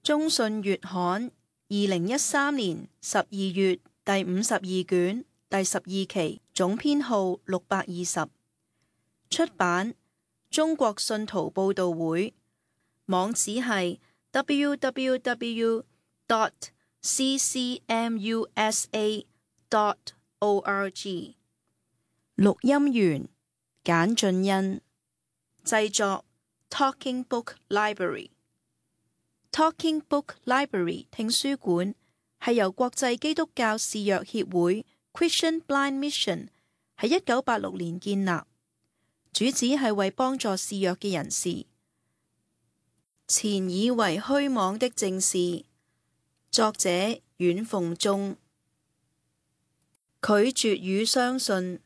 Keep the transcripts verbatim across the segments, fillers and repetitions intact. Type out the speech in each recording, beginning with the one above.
中信月刊二零一三年十二月第五十二卷第十二期，總編號六百二十。出版中國信徒報道會，網址係 w w w dot c c m u s a dot org。錄音員簡俊恩，製作 Talking Book Library。Talking Book Library 聽書館係由國際基督教視弱協會 Christian Blind Mission 喺一九八六年建立，主旨係為幫助視弱嘅人士。前以為虛妄的正事，作者阮鳳忠。拒絕與相信。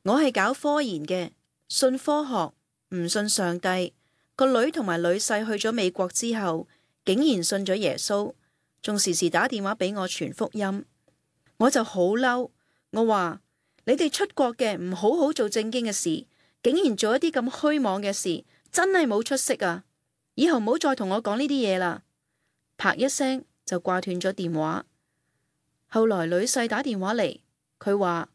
我係搞科研嘅，信科學，唔信上帝。個女同埋女婿去咗美國之後，竟然信咗耶穌，仲時時打電話俾我傳福音。我就好嬲，我話你哋出國嘅唔好好做正經嘅事，竟然做一啲咁虛妄嘅事，真係冇出息啊！以後唔好再同我講呢啲嘢啦。啪一聲就掛斷咗電話。後來女婿打電話嚟，佢話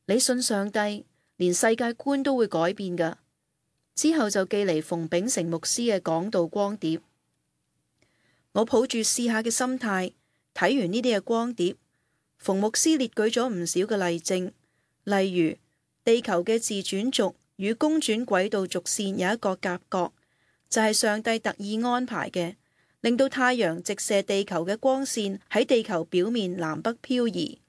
你信上帝，連世界觀都會改變噶。之後就寄嚟馮秉成牧師嘅講道光碟。我抱住試下嘅心態睇完呢啲嘅光碟，馮牧師列舉咗唔少嘅例證，例如地球嘅自轉軸與公轉軌道軸線有一個夾角，就係上帝特意安排嘅，令到太陽直射地球嘅光線喺地球表面南北漂移。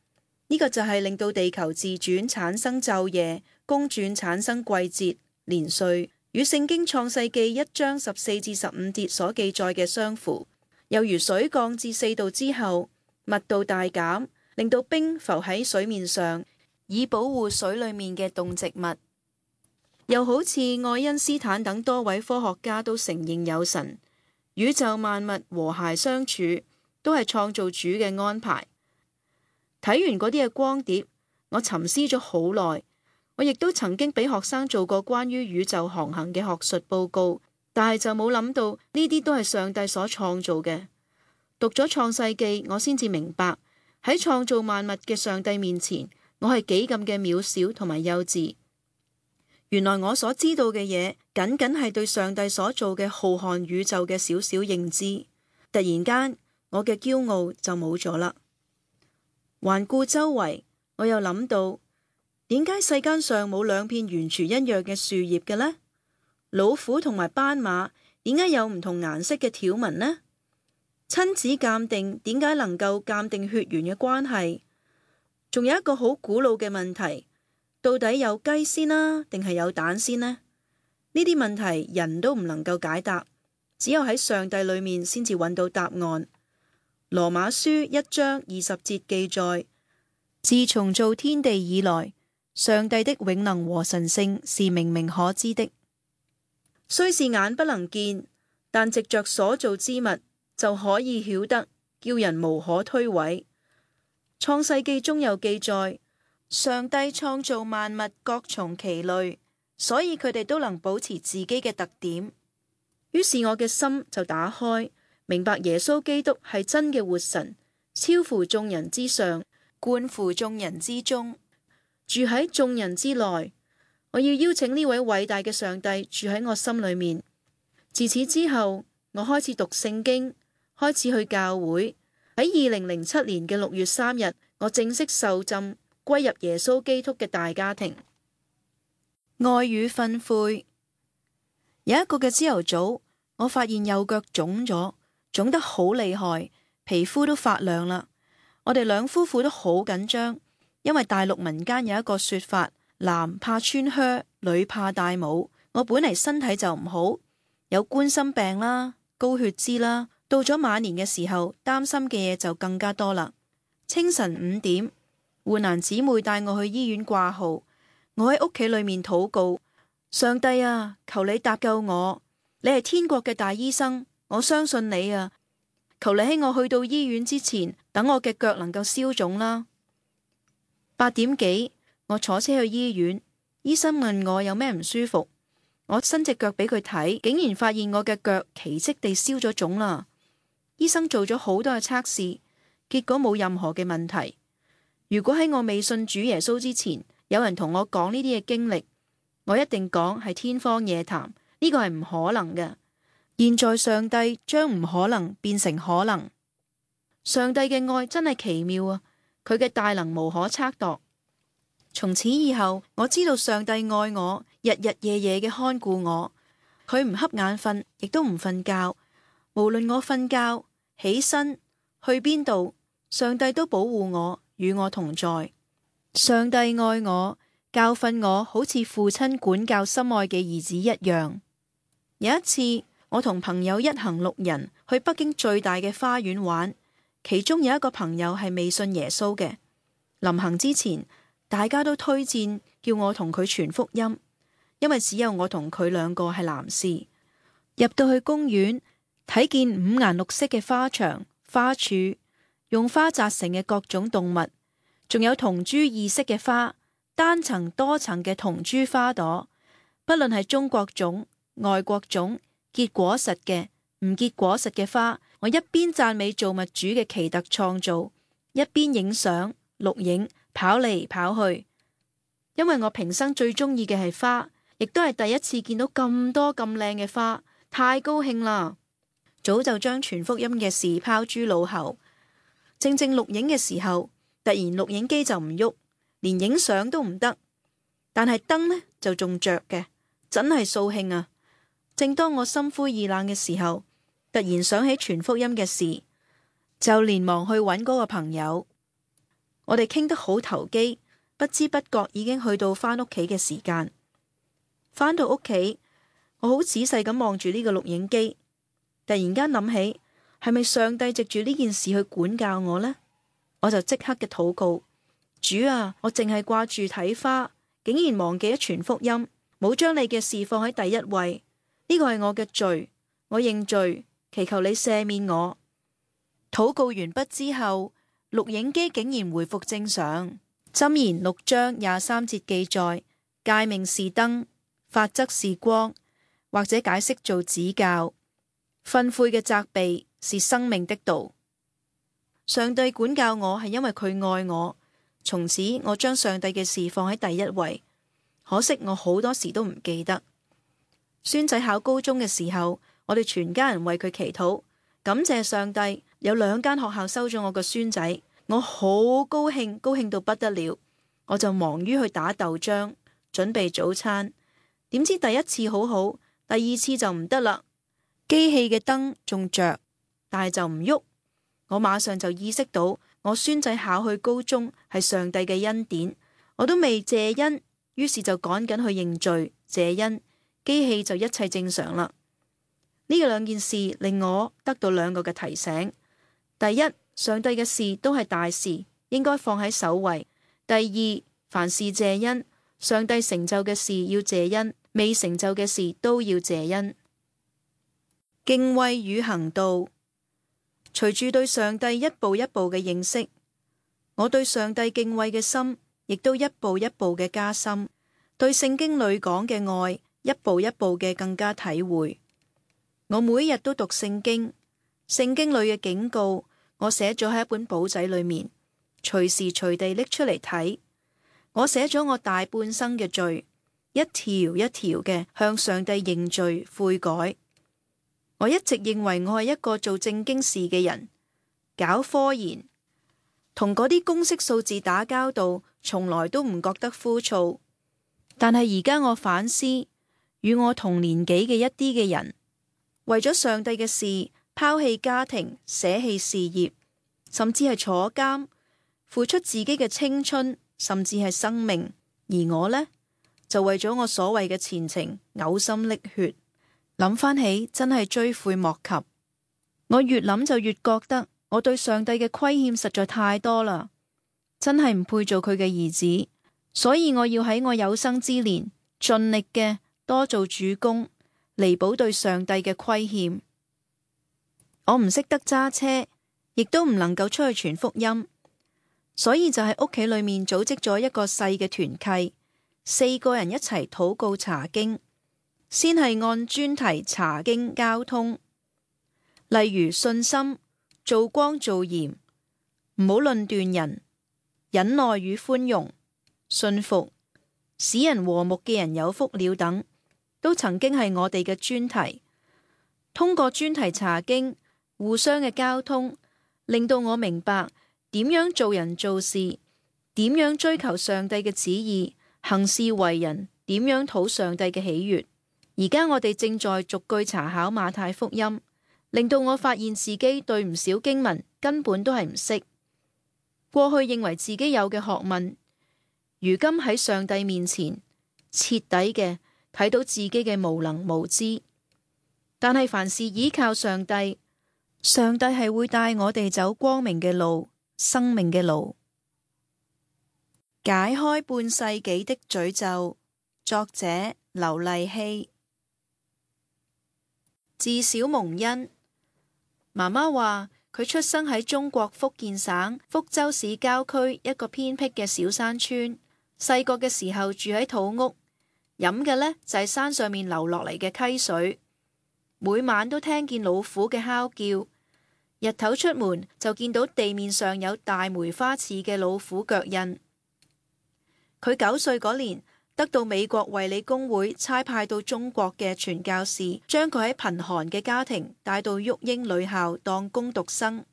呢個就係令到地球自轉產生晝夜，公轉產生季節年歲，與聖經創世記一章十四至十五節所記載嘅相符。又如水降至四度之後，密度大減，令到冰浮喺水面上，以保護水裏面嘅動植物。又好似愛因斯坦等多位科學家都承認有神，宇宙萬物和諧相處，都係創造主嘅安排。睇完嗰啲嘅光碟，我沉思咗好耐。我亦都曾經俾學生做過關於宇宙航行嘅學術報告，但係就冇諗到呢啲都係上帝所創造嘅。讀咗創世記，我先至明白喺創造萬物嘅上帝面前，我係幾咁嘅渺小同埋幼稚。原來我所知道嘅嘢，僅僅係對上帝所做嘅浩瀚宇宙嘅少少認知。突然間，我嘅驕傲就冇咗啦。環顧周圍，我又諗到，點解世間上冇兩片完全一樣嘅樹葉嘅呢？老虎同埋斑馬點解有唔同顏色嘅條紋呢？親子鑑定點解能夠鑑定血緣嘅關係？仲有一個好古老嘅問題，到底有雞先啦，定係有蛋先呢？呢啲問題人都唔能夠解答，只有喺上帝裏面先至揾到答案。羅馬書一章二十節記載，自從造天地以來，上帝的永能和神性是明明可知的，雖是眼不能見，但藉着所造之物就可以曉得，叫人無可推諉。創世記中有記載，上帝創造萬物各從其類，所以佢哋都能保持自己嘅特點。於是我嘅心就打開，明白耶穌基督係真嘅活神，超乎眾人之上，貫乎眾人之中，住喺眾人之內。我要邀請呢位偉大嘅上帝住喺我心裏面。自此之後，我開始讀聖經，開始去教會。喺二零零七年嘅六月三日，我正式受浸，歸入耶穌基督嘅大家庭。愛與訓誨。有一個嘅朝頭早，我發現右腳腫咗，腫得好厲害，皮膚都發亮啦。我哋兩夫婦都好緊張，因為大陸民間有一個說法，男怕穿靴，女怕戴帽。我本嚟身體就唔好，有冠心病啦、高血脂啦，到咗晚年嘅時候，擔心嘅嘢就更加多啦。清晨五點，護蘭姊妹帶我去醫院掛號，我喺屋企裏面禱告，上帝啊，求你搭救我，你係天國嘅大醫生，我相信你啊，求你喺我去到醫院之前，等我嘅腳能夠消腫啦。八點幾，我坐車去醫院，醫生問我有咩唔舒服，我伸隻腳俾佢睇，竟然發現我嘅腳奇蹟地消咗腫啦。醫生做咗好多嘅測試，結果冇任何嘅問題。如果喺我未信主耶穌之前，有人同我講呢啲嘅經歷，我一定講係天方夜譚，呢個係唔可能嘅。現在上帝將唔可能變成可能。上帝嘅愛真係奇妙啊！佢嘅大能無可測度。從此以後，我知道上帝愛我，日日夜夜嘅看顧我。佢唔瞌眼瞓，亦都唔瞓覺。無論我瞓覺、起身、去邊度，上帝都保護我，與我同在。上帝愛我，教訓我，好似父親管教心愛嘅兒子一樣。有一次，我同朋友一行六人去北京最大嘅花園玩，其中有一個朋友係未信耶穌嘅。臨行之前，大家都推薦叫我同佢傳福音，因為只有我同佢兩個係男士。入到去公園，睇見五顏六色嘅花牆、花柱，用花紮成嘅各種動物，仲有同株異色嘅花，單層多層嘅同株花朵，不論係中國種、外國種，結果實嘅、唔結果實嘅花，我一邊讚美造物主嘅奇特創造，一邊影相、錄影、跑嚟跑去。因為我平生最中意嘅係花，亦都係第一次見到咁多咁靚嘅花，太高興啦！早就將傳福音嘅事拋諸腦後。正正錄影嘅時候，突然錄影機就唔喐，連影相都唔得。但係燈呢就仲着嘅，真係掃興啊！正當我心灰意冷嘅時候，突然想起傳福音嘅事，就連忙去揾嗰個朋友。我哋傾得好投機，不知不覺已經去到返屋企嘅時間。返到屋企，我好仔細咁望住呢個錄影機，突然間諗起，係咪上帝藉住呢件事去管教我呢？我就即刻嘅禱告：主啊，我淨係掛住睇花，竟然忘記咗傳福音，冇將你嘅事放喺第一位。呢個係我嘅罪，我認罪，祈求你赦免我。禱告完畢之後，錄影機竟然回復正常。箴言六章廿三節記載：誡命是燈，法則是光，或者解釋做指教。訓誨嘅責備是生命的道。上帝管教我係因為佢愛我，從此我將上帝嘅事放喺第一位。可惜我好多時都唔記得。孫仔考高中嘅時候，我哋全家人為佢祈禱，感謝上帝有兩間學校收咗我個孫仔。我好高興，高興到不得了，我就忙於去打豆漿，準備早餐。點知第一次好好，第二次就唔得啦。機器嘅燈仲着，但係就唔喐。我馬上就意識到，我孫仔考去高中係上帝嘅恩典，我都未謝恩，於是就趕緊去認罪謝恩，機器就一切正常啦。呢個兩件事令我得到兩個嘅提醒：第一，上帝嘅事都係大事，應該放喺首位；第二，凡事謝恩，上帝成就嘅事要謝恩，未成就嘅事都要謝恩。敬畏與行道。隨住對上帝一步一步嘅認識，我對上帝敬畏嘅心亦都一步一步嘅加深，對聖經裏講嘅愛一步一步嘅更加體會。我每日都讀聖經，聖經裏嘅警告我寫咗喺一本簿仔裏面，隨時隨地拎出嚟睇。我寫咗我大半生嘅罪，一條一條嘅向上帝認罪悔改。我一直認為我係一個做正經事嘅人，搞科研，同嗰啲公式數字打交道，從來都唔覺得枯燥。但係而家我反思，與我同年紀嘅一啲嘅人，為咗上帝嘅事，拋棄家庭，捨棄事業，甚至係坐監，付出自己嘅青春，甚至係生命。而我呢，就為咗我所謂嘅前程，嘔心瀝血。諗翻起真係追悔莫及。我越諗就越覺得我對上帝嘅虧欠實在太多啦，真係唔配做佢嘅兒子。所以我要喺我有生之年盡力嘅多做主工，彌補對上帝嘅虧欠。我唔識得揸車，亦都唔能夠出去傳福音，所以就喺屋企裏面組織咗一個細嘅團契，四個人一齊禱告查經。先係按專題查經交通，例如信心、做光做鹽，唔好論斷人，忍耐與寬容，信服，使人和睦嘅人有福了等，都曾經係我哋嘅專題。通過專題查經，互相嘅交通，令到我明白點樣做人做事，點樣追求上帝嘅旨意，行事為人，點樣討上帝嘅喜悅。而家我哋正在逐句查考馬太福音，令到我發現自己對唔少經文根本都係唔識。過去認為自己有嘅學問，如今喺上帝面前徹底嘅睇到自己嘅無能無知。但係凡事依靠上帝，上帝係會帶我哋走光明嘅路，生命嘅路。解開半世紀的詛咒，作者劉勵希。自小蒙恩，媽媽話佢出生喺中國福建省福州市郊區一個偏僻嘅小山村。細個嘅時候住喺土屋，飲嘅呢就係山上面流落嚟嘅溪水。每晚都聽見老虎嘅哮叫，日頭出門就見到地面上有大梅花似嘅老虎腳印。佢九歲嗰年，得到美國衛理公會差派到中國嘅傳教士，將佢喺貧寒嘅家庭帶到育英女校當工讀生，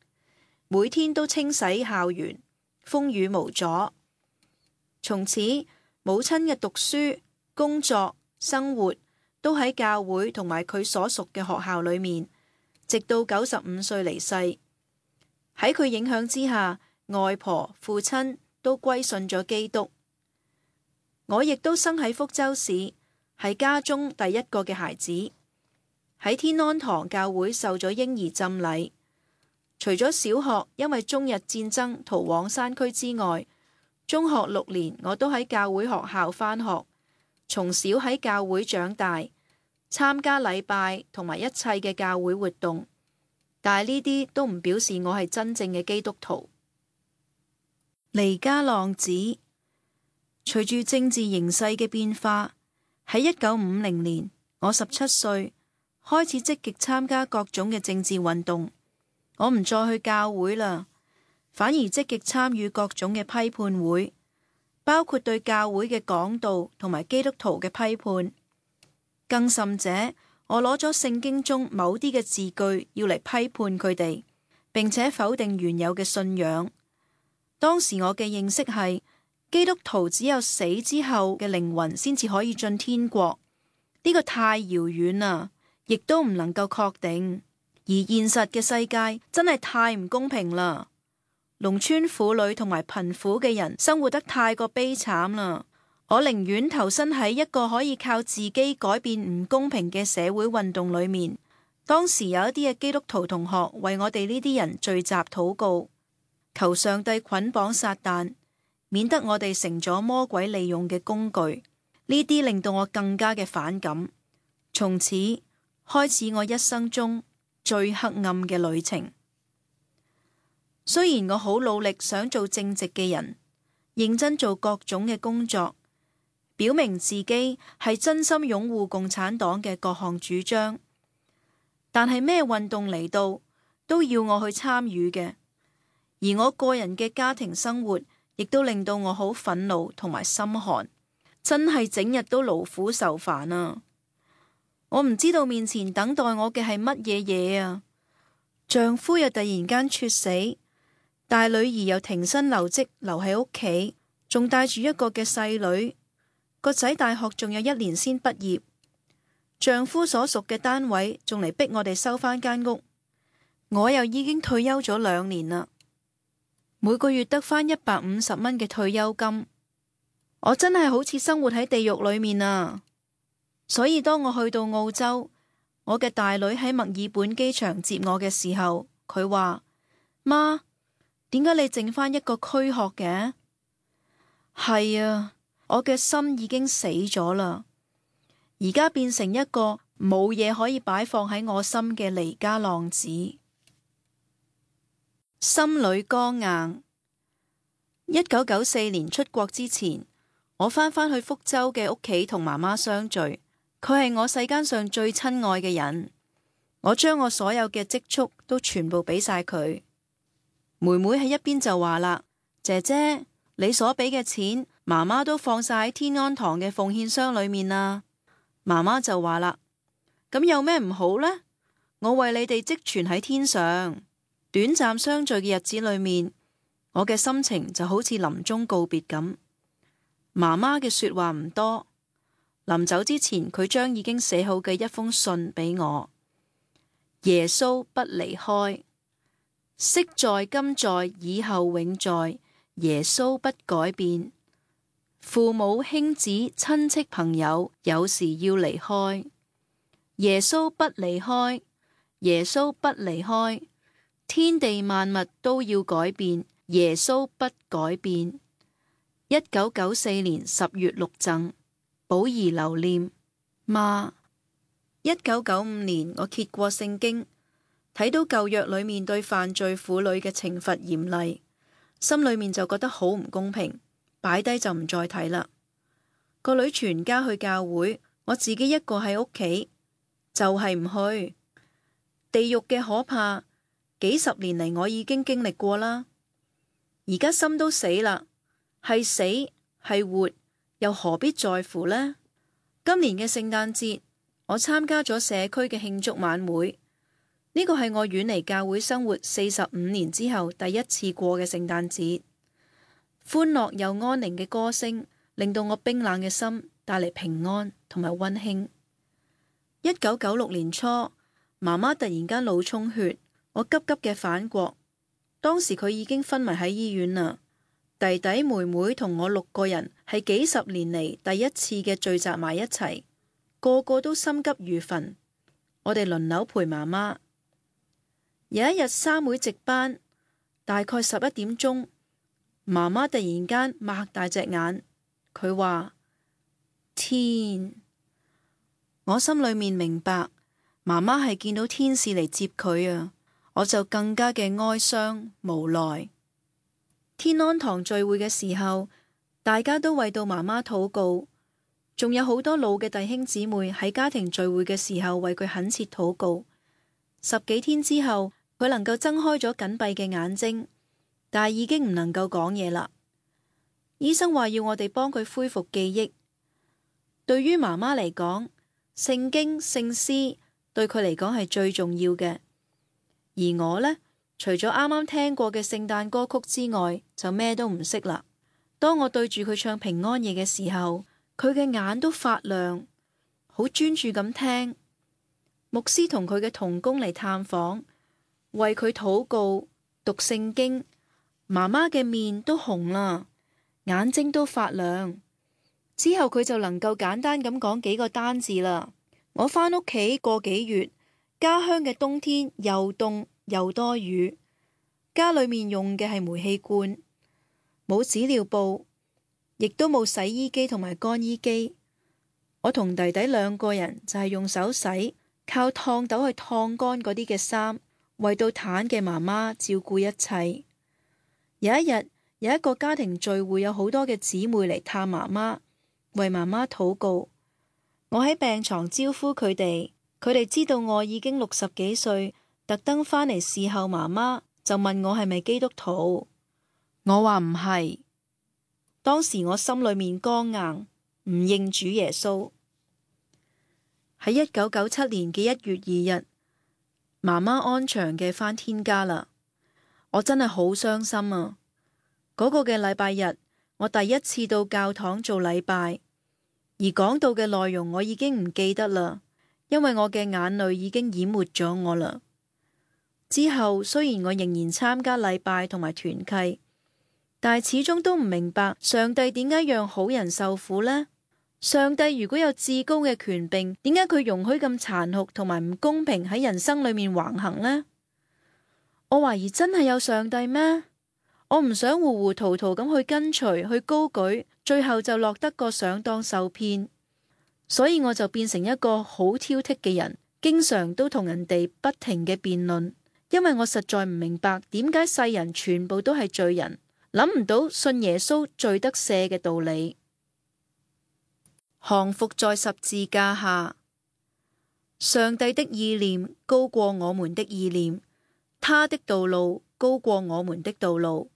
每天都清洗校園，風雨無阻。從此，母親嘅讀書、工作、生活都喺教會同埋佢所屬嘅學校裏面，直到九十五歲離世。喺佢影響之下，外婆、父親都歸信咗基督。我亦都生喺福州市，係家中第一個嘅孩子，喺天安堂教會受咗嬰兒浸禮。除咗小學因為中日戰爭逃往山區之外，中學六年我都喺教會學校返學，從小喺教會長大，參加禮拜同埋一切嘅教會活動，但係呢啲都唔表示我係真正嘅基督徒。彌迦浪子。隨住政治形勢嘅變化，喺一九五零年，我十七歲，開始積極參加各種嘅政治運動。我唔再去教會啦，反而積極參與各種嘅批判會，包括對教會嘅講道同埋基督徒嘅批判。更甚者，我攞咗聖經中某啲嘅字句要嚟批判佢哋，並且否定原有嘅信仰。當時我嘅認識係，基督徒只有死之後嘅靈魂先至可以進天國，呢個太遙遠啦，亦都唔能夠確定。而現實嘅世界真係太唔公平啦，農村婦女同埋貧苦嘅人生活得太過悲慘啦。我寧願投身喺一個可以靠自己改變唔公平嘅社會運動裏面。當時有一啲嘅基督徒同學為我哋呢啲人聚集禱告，求上帝捆綁撒旦，免得我哋成咗魔鬼利用嘅工具。呢啲令到我更加嘅反感。從此開始我一生中最黑暗嘅旅程。雖然我好努力想做正直嘅人，認真做各種嘅工作，表明自己係真心擁護共產黨嘅各項主張，但係咩運動嚟到都要我去參與嘅。而我個人嘅家庭生活亦都令到我好憤怒同埋心寒，真係整日都勞苦愁煩啊！我唔知道面前等待我嘅係乜嘢嘢啊！丈夫又突然間猝死，大女兒又停薪留職留喺屋企，仲帶住一個嘅細女，個仔大學仲有一年先畢業，丈夫所屬嘅單位仲嚟逼我哋收返間屋，我又已經退休咗兩年啦，每個月得返一百五十蚊嘅退休金，我真係好似生活喺地獄裏面啊！所以當我去到澳洲，我嘅大女喺墨爾本機場接我嘅時候，佢話：媽，點解你剩返一個軀殼嘅？係啊，我嘅心已經死咗啦，而家變成一個冇嘢可以擺放喺我心嘅彌迦浪子，心裏剛硬。一九九四年出國之前，我返返去福州嘅屋企同媽媽相聚。佢係我世間上最親愛嘅人，我將我所有嘅積蓄都全部俾晒佢。妹妹喺一邊就話啦：姐姐，你所俾嘅錢，媽媽都放晒喺天安堂嘅奉獻箱裏面啦。媽媽就話啦：咁有咩唔好呢？我為你哋積存喺天上。短暫相聚嘅日子裏面，我嘅心情就好似臨終告別咁。媽媽嘅說話唔多，臨走之前，佢將已經寫好嘅一封信俾我。耶穌不離開，昔在今在以後永在，耶穌不改變。父母兄子親戚朋友有時要離開，耶穌不離開，耶穌不離開。天地萬物都要改變，耶穌不改變。一九九四年十月六贈，寶兒留念。媽，一九九五年我揭過聖經，睇到舊約裏面對犯罪婦女嘅懲罰嚴厲，心裏面就覺得好唔公平，擺低就唔再睇啦。個女全家去教會，我自己一個喺屋企，就係唔去。地獄嘅可怕，幾十年嚟我已經經歷過啦。而家心都死啦，係死係活，又何必在乎呢？今年嘅聖誕節，我參加咗社區嘅慶祝晚會，呢個係我遠離教會生活四十五年之後第一次過嘅聖誕節。歡樂又安寧嘅歌聲，令到我冰冷嘅心帶嚟平安同埋溫馨。一九九六年初，媽媽突然間腦充血，我急急嘅返國，當時佢已經昏迷喺醫院啦。弟弟妹妹同我六個人係幾十年嚟第一次嘅聚集埋一齊，個個都心急如焚。我哋輪流陪媽媽。有一日三會值班，大概十一點鐘，媽媽突然間擘大隻眼，佢話：天！我心裏面明白，媽媽係見到天使嚟接佢啊！我就更加嘅哀傷無奈。天安堂聚會嘅時候，大家都為到媽媽禱告，仲有好多老嘅弟兄姊妹喺家庭聚會嘅時候為佢懇切禱告。十幾天之後，佢能夠睜開咗緊閉嘅眼睛，但係已經唔能夠講嘢啦。醫生話要我哋幫佢恢復記憶。對於媽媽嚟講，聖經聖詩對佢嚟講係最重要嘅。而我呢，除咗啱啱聽過嘅聖誕歌曲之外，就咩都唔識啦。當我對住佢唱平安夜嘅時候，佢嘅眼都發亮，好專注咁聽。牧師同佢嘅同工嚟探訪，為佢禱告、讀聖經，媽媽嘅面都紅啦，眼睛都發亮。之後佢就能夠簡單咁講幾個單字啦。我返屋企個幾月，家鄉嘅冬天又凍又多雨，家裏面用嘅係煤氣罐，冇紙尿布，亦都冇洗衣機同埋乾衣機。我同弟弟兩個人就係用手洗，靠燙斗去燙乾嗰啲嘅衫，為到癱嘅媽媽照顧一切。有一日，有一個家庭聚會，有好多嘅姊妹嚟探媽媽，為媽媽禱告。我喺病床招呼佢哋，佢哋知道我已經六十幾歲，特登返嚟侍候媽媽，就問我係咪基督徒。我話唔係。當時我心裏面剛硬，唔認主耶穌。喺一九九七年嘅一月二日，媽媽安詳嘅返天家啦。我真係好傷心啊！嗰個嘅禮拜日，我第一次到教堂做禮拜。而講到嘅內容我已經唔記得啦，因為我嘅眼淚已經淹沒咗我啦。之後雖然我仍然參加禮拜同埋團契，但係始終都唔明白上帝點解讓好人受苦呢？上帝如果有至高嘅權柄，點解佢容許咁殘酷同埋唔公平喺人生裏面橫行呢？我懷疑真係有上帝咩？我唔想糊糊塗塗咁去跟隨去高舉，最後就落得個上當受騙，所以我就變成一個好挑剔嘅人，經常都同人哋不停嘅辯論，因為我實在唔明白點解世人全部都係罪人，諗唔到信耶穌罪得赦嘅道理。降服在十字架下，上帝的意念高過我們的意念，他的道路高過我們的道路。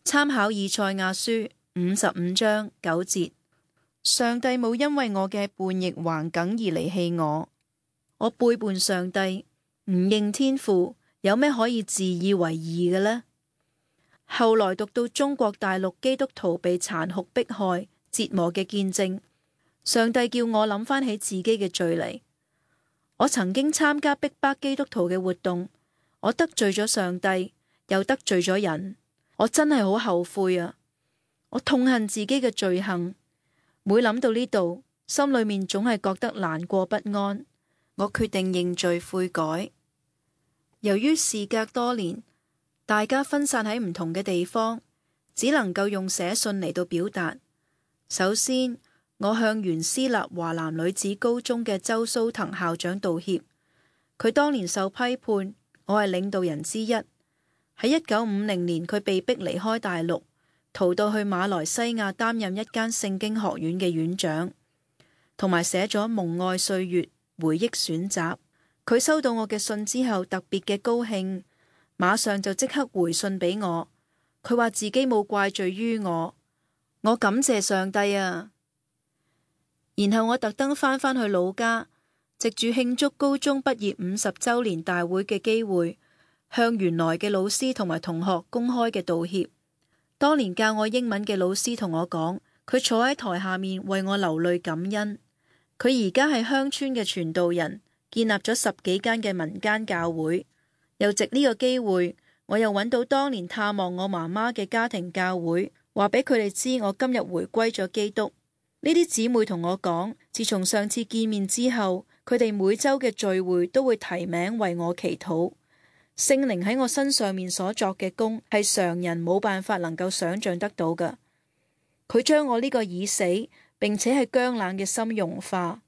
參考以賽亞書五十五章九節。上帝冇因為我嘅叛逆橫梗而離棄我，我背叛上帝，唔認天父，有咩可以自以為義嘅呢？後來讀到中國大陸基督徒被殘酷迫害、折磨嘅見證，上帝叫我諗翻起自己嘅罪嚟。我曾經參加逼迫基督徒嘅活動，我得罪咗上帝，又得罪咗人，我真係好後悔啊！我痛恨自己嘅罪行。每諗到呢度，心裏面總係覺得難過不安。我決定認罪悔改。由於事隔多年，大家分散喺唔同嘅地方，只能夠用寫信嚟到表達。首先，我向原私立華南女子高中嘅周蘇騰校長道歉。佢當年受批判，我係領導人之一。喺一九五零年，佢被逼離開大陸，逃到去馬來西亞擔任一間聖經學院嘅院長，同埋寫咗《蒙愛歲月回憶選集》。佢收到我嘅信之後，特別嘅高興，馬上就即刻回信俾我。佢話自己冇怪罪於我，我感謝上帝啊！然後我特登返返去老家，藉住慶祝高中畢業五十週年大會嘅機會，向原來嘅老師同埋同學公開嘅道歉。當年教我英文嘅老師同我講，佢坐喺台下面為我流淚感恩。佢而家係鄉村嘅傳道人，建立咗十幾間嘅民間教會。又藉呢個機會，我又揾到當年探望我媽媽嘅家庭教會，話俾佢哋知我今日回歸咗基督。呢啲姊妹同我講，自從上次見面之後，佢哋每週嘅聚會都會提名為我祈禱。聖靈喺我身上面所作嘅功，係常人冇辦法能夠想象得到嘅。佢將我呢個已死並且係僵冷嘅心融化。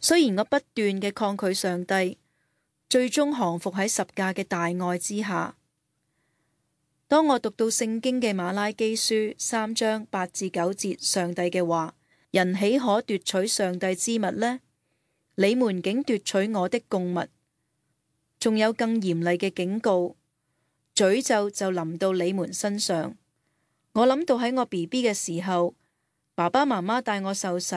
雖然我不斷嘅抗拒上帝，最終降服喺十架嘅大愛之下。當我讀到聖經嘅馬拉基書三章八至九節，上帝嘅話：人豈可奪取上帝之物呢？你們竟奪取我的供物。仲有更嚴厲嘅警告，詛咒就臨到你們身上。我諗到喺我 B B 嘅時候，爸爸媽媽帶我受洗，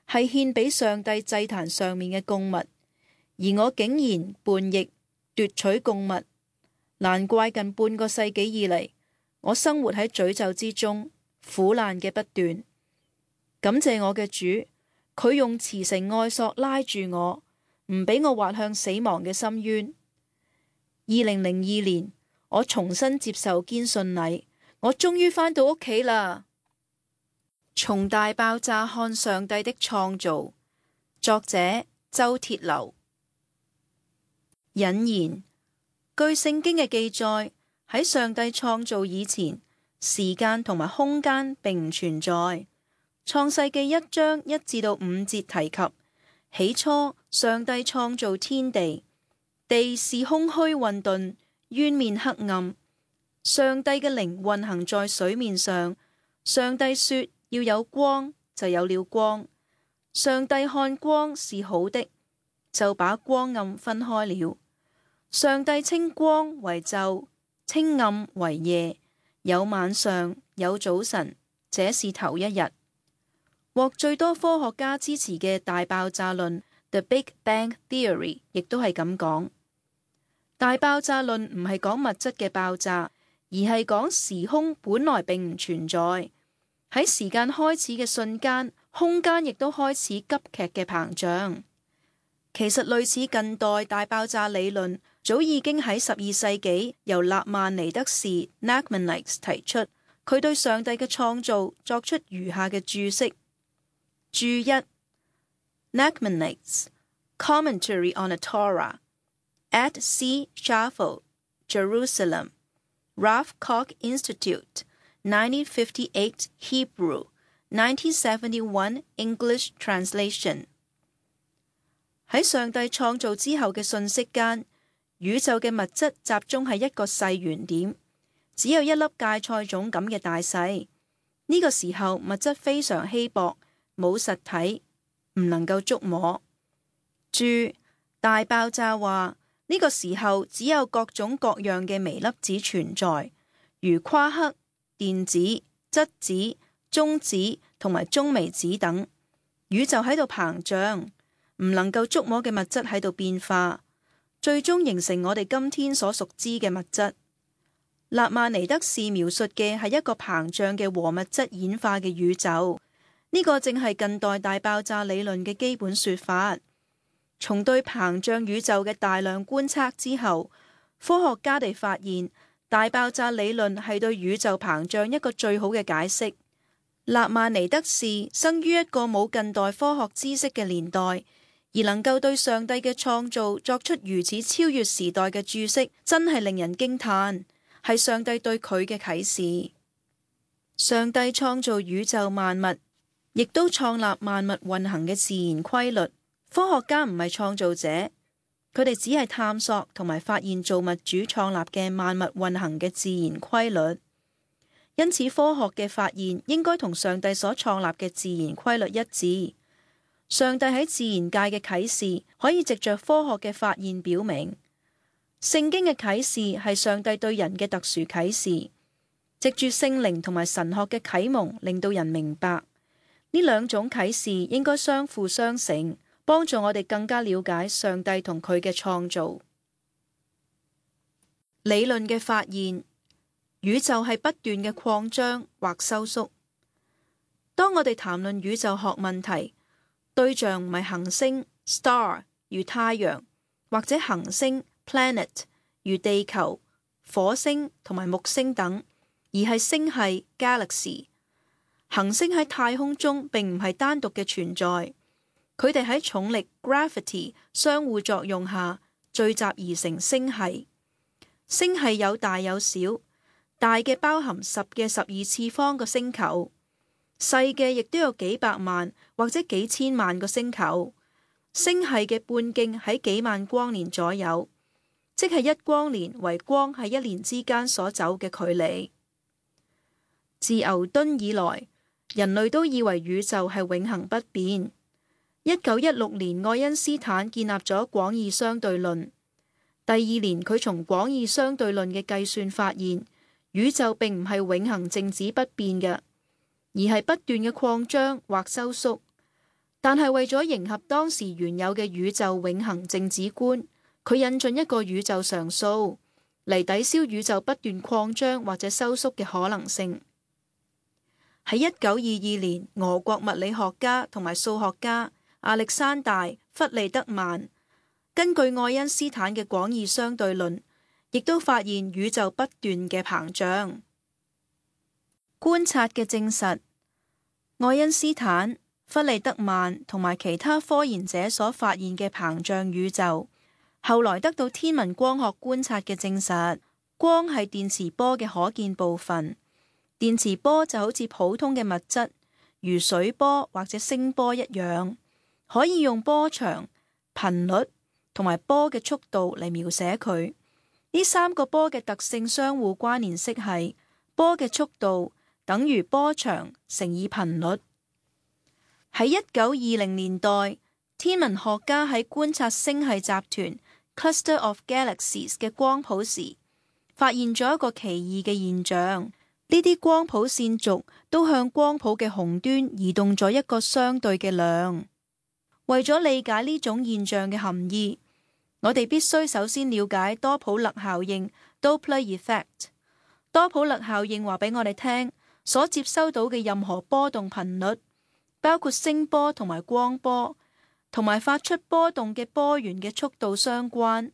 係獻俾上帝祭壇上面嘅供物，而我竟然叛逆奪取供物，難怪近半個世紀以嚟，我生活喺詛咒之中，苦難嘅不斷。感謝我嘅主，佢用慈繩愛索拉住我，唔俾我滑向死亡嘅深淵。二零零二年，我重新接受堅信禮，我終於返到屋企啦。從大爆炸看上帝的創造，作者周鐵流。引言：據聖經嘅記載，喺上帝創造以前，時間同埋空間並唔存在。創世記一章一至到五節提及，起初上帝創造天地，地是空虛混沌，淵面黑暗。上帝嘅靈運行在水面上。上帝說要有光，就有了光。上帝看光是好的，就把光暗分開了。上帝稱光為晝，稱暗為夜，有晚上，有早晨，這是頭一日。獲最多科學家支持嘅大爆炸論 The Big Bang Theory 亦都係咁講。大爆炸論唔係講物質嘅爆炸，而係講時空本來並唔存在。喺時間開始嘅瞬間，空間亦都開始急劇嘅膨脹。其實類似近代大爆炸理論，早已經喺十二世紀由納曼尼德士 Nachmanides 提出。佢對上帝嘅創造作出如下嘅注釋。注一 Nachmanides Commentary on the Torah at C. Schaffel, Jerusalem, Rav Kook Institute, nineteen fifty-eight Hebrew, nineteen seventy-one English translation。 喺上帝創造之後嘅瞬息間，宇宙嘅物質集中喺一個細圓點，只有一粒芥菜種咁嘅大細。呢個時候物質非常稀薄，冇實體，唔能夠觸摸。注大爆炸話呢個時候只有各種各樣嘅微粒子存在，如夸克、電子、質子、中子同埋中微子等。宇宙喺度膨脹，唔能夠觸摸嘅物質喺度變化，最終形成我哋今天所熟知嘅物質。納曼尼德士描述嘅係一個膨脹嘅和物質演化嘅宇宙，呢個正係近代大爆炸理論嘅基本說法。從對膨脹宇宙嘅大量觀測之後，科學家哋發現大爆炸理論係對宇宙膨脹一個最好嘅解釋。納曼尼德士生於一個冇近代科學知識嘅年代，而能夠對上帝嘅創造作出如此超越時代嘅注釋，真係令人驚嘆。係上帝對佢嘅啟示。上帝創造宇宙萬物，亦都創立萬物運行嘅自然規律。科學家唔係創造者，佢哋只係探索同埋發現造物主創立嘅萬物運行嘅自然規律。因此，科學嘅發現應該同上帝所創立嘅自然規律一致。上帝喺自然界嘅啟示可以藉着科學嘅發現表明。聖經嘅啟示係上帝對人嘅特殊啟示，藉住聖靈同埋神學嘅啟蒙，令到人明白呢兩種啟示應該相輔相成，幫助我哋更加了解上帝同佢嘅創造。理論嘅發現，宇宙係不斷嘅擴張或收縮。當我哋談論宇宙學問題，對象唔係行星 star 如太陽，或者行星planet 如地球、火星同埋木星等，而係星系 galaxy。行星喺太空中並唔係單獨嘅存在，佢哋喺重力 gravity 相互作用下聚集而成星系。星系有大有小，大嘅包含十嘅十二次方個星球，細嘅亦都有幾百萬或者幾千萬個星球。星系嘅半徑喺幾萬光年左右，即係一光年為光喺一年之間所走嘅距離。自牛頓以來，人類都以為宇宙係永恆不變。一九一六年，愛因斯坦建立咗廣義相對論。第二年，佢從廣義相對論嘅計算發現，宇宙並唔係永恆靜止不變嘅，而係不斷嘅擴張或收縮。但係為咗迎合當時原有嘅宇宙永恆靜止觀，佢引進一個宇宙常數嚟抵消宇宙不斷擴張或者收縮嘅可能性。喺一九二二年，俄國物理學家同埋數學家亞歷山大·弗利德曼根據愛因斯坦嘅廣義相對論，亦都發現宇宙不斷嘅膨脹。觀察嘅證實，愛因斯坦、弗利德曼同埋其他科研者所發現嘅膨脹宇宙，後來得到天文光學觀察嘅證實。光係電磁波嘅可見部分，電磁波就好似普通嘅物質，如水波或者聲波一樣，可以用波長、頻率同埋波嘅速度嚟描寫佢。呢三個波嘅特性相互關聯式係波嘅速度等於波長乘以頻率。喺一九二零年代，天文學家喺觀察星系集團 Cluster of Galaxies 嘅光譜時，發現咗一個奇異嘅現象。呢啲光譜線軸都向光譜嘅紅端移動咗一個相對嘅量。為咗理解呢種現象嘅含義，我哋必須首先了解多普勒效應 Doppler effect。多普勒效應話俾我哋聽，所接收到嘅任何波動頻率，包括聲波同埋光波，同埋發出波動嘅波源嘅速度相關。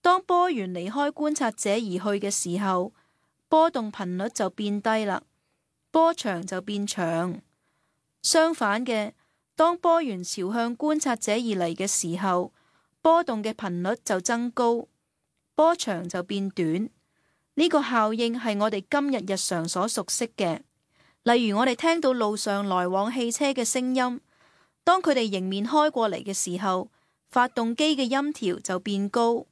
當波源離開觀察者而去嘅時候，波動頻率就變低啦，波長就變長。相反嘅，當波源朝向觀察者而嚟嘅時候，波動嘅頻率就增高，波長就變短。呢個效應係我哋今日日常所熟悉嘅。例如我哋聽到路上來往汽車嘅聲音，當佢哋迎面開過嚟嘅時候，發動機嘅音調就變高；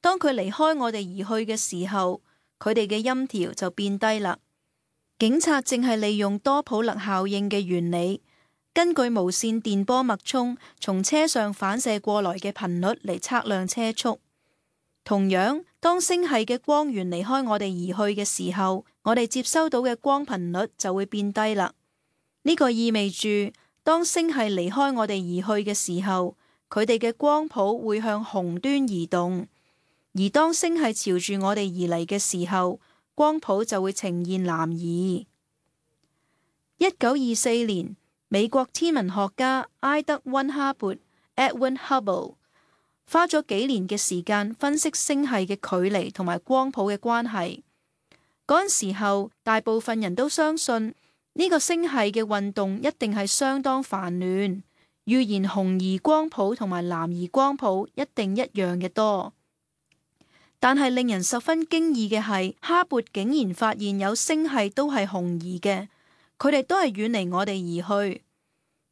當佢離開我哋而去嘅時候，佢哋嘅音調就變低啦。警察正係利用多普勒效應嘅原理，根據無線電波脈衝從車上反射過來嘅頻率嚟測量車速。同樣，當星系嘅光源離開我哋而去嘅時候，我哋接收到嘅光頻率就會變低啦。呢個意味住，當星系離開我哋而去嘅時候，佢哋嘅光譜會向紅端移動；而當星系朝住我哋而嚟嘅時候，光譜就會呈現南移。一九二四年，美國天文學家埃德溫哈勃 （Edwin Hubble） 花咗幾年嘅時間分析星系嘅距離同埋光譜嘅關係。嗰陣時候，大部分人都相信呢個星系嘅運動一定係相當繁亂，預言紅移光譜同埋藍移光譜一定一樣嘅多。但係令人十分驚異嘅係，哈勃竟然發現有星系都係紅移嘅，佢哋都係遠離我哋而去。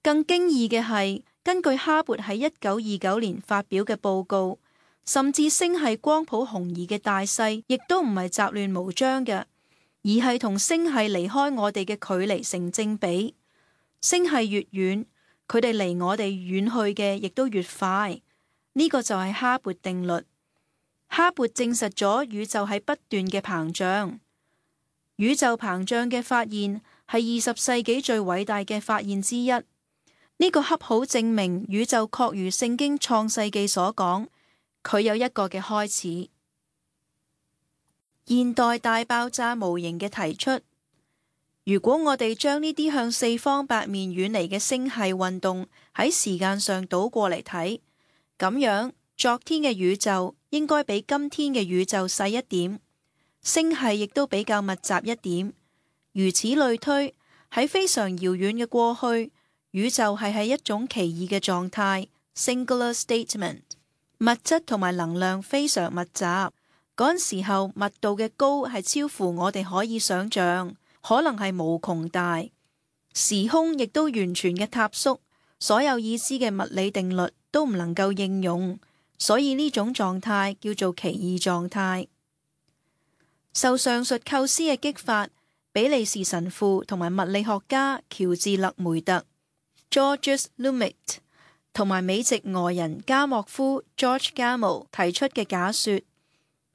更驚異嘅係，根據哈勃喺一九二九年發表嘅報告，甚至星系光譜紅移嘅大細亦都唔係雜亂無章嘅，而係同星系離開我哋嘅距離成正比。星系越遠，佢哋離我哋遠去嘅亦都越快。呢個就係哈勃定律。哈勃證實咗宇宙係不斷嘅膨脹。宇宙膨脹嘅發現係二十世紀最偉大嘅發現之一。呢個恰好證明宇宙確如聖經創世記所講，佢有一個嘅開始。現代大爆炸模型嘅提出，如果我哋將呢啲向四方八面遠離嘅星系運動喺時間上倒過嚟睇，咁樣昨天嘅宇宙應該比今天嘅宇宙細一點，星系亦都比較密集一點。如此類推，喺非常遙遠嘅過去，宇宙係喺一種奇異嘅狀態 （singular statement）， 物質同埋能量非常密集。嗰陣時候，密度嘅高係超乎我哋可以想象，可能係無窮大。時空亦都完全嘅塌縮，所有已知嘅物理定律都唔能夠應用，所以呢種狀態叫做奇異狀態。受上述構思嘅激發，比利時神父同埋物理學家喬治勒梅特 （Georges Lumet） 同埋美籍俄人加莫夫 （George Gamow） 提出嘅假說，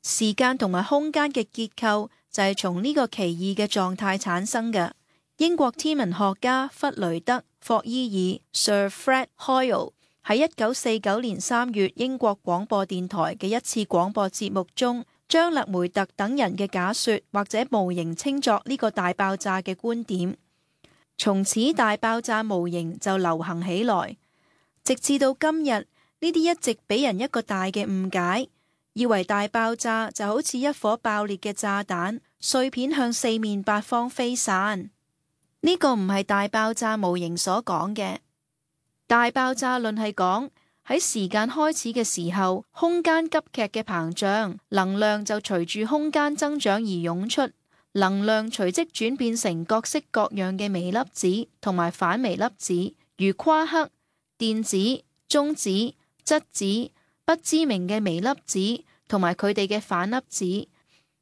時間同埋空間嘅結構就係從呢個奇異嘅狀態產生嘅。英國天文學家弗雷德霍伊爾 （Sir Fred Hoyle） 喺一九四九年三月英國廣播電台嘅一次廣播節目中，將勒梅特等人嘅假說或者模型稱作呢個大爆炸嘅觀點。從此大爆炸模型就流行起來，直至到今日，呢啲一直俾人一個大嘅誤解，以為大爆炸就好似一顆爆裂嘅炸彈，碎片向四面八方飛散。呢個唔係大爆炸模型所講嘅。大爆炸論係講喺時間開始嘅時候，空間急劇嘅膨脹，能量就隨住空間增長而湧出，能量隨即轉變成各式各樣嘅微粒子同埋反微粒子，如夸克、電子、中子、質子、不知名嘅微粒子同埋佢哋嘅反粒子。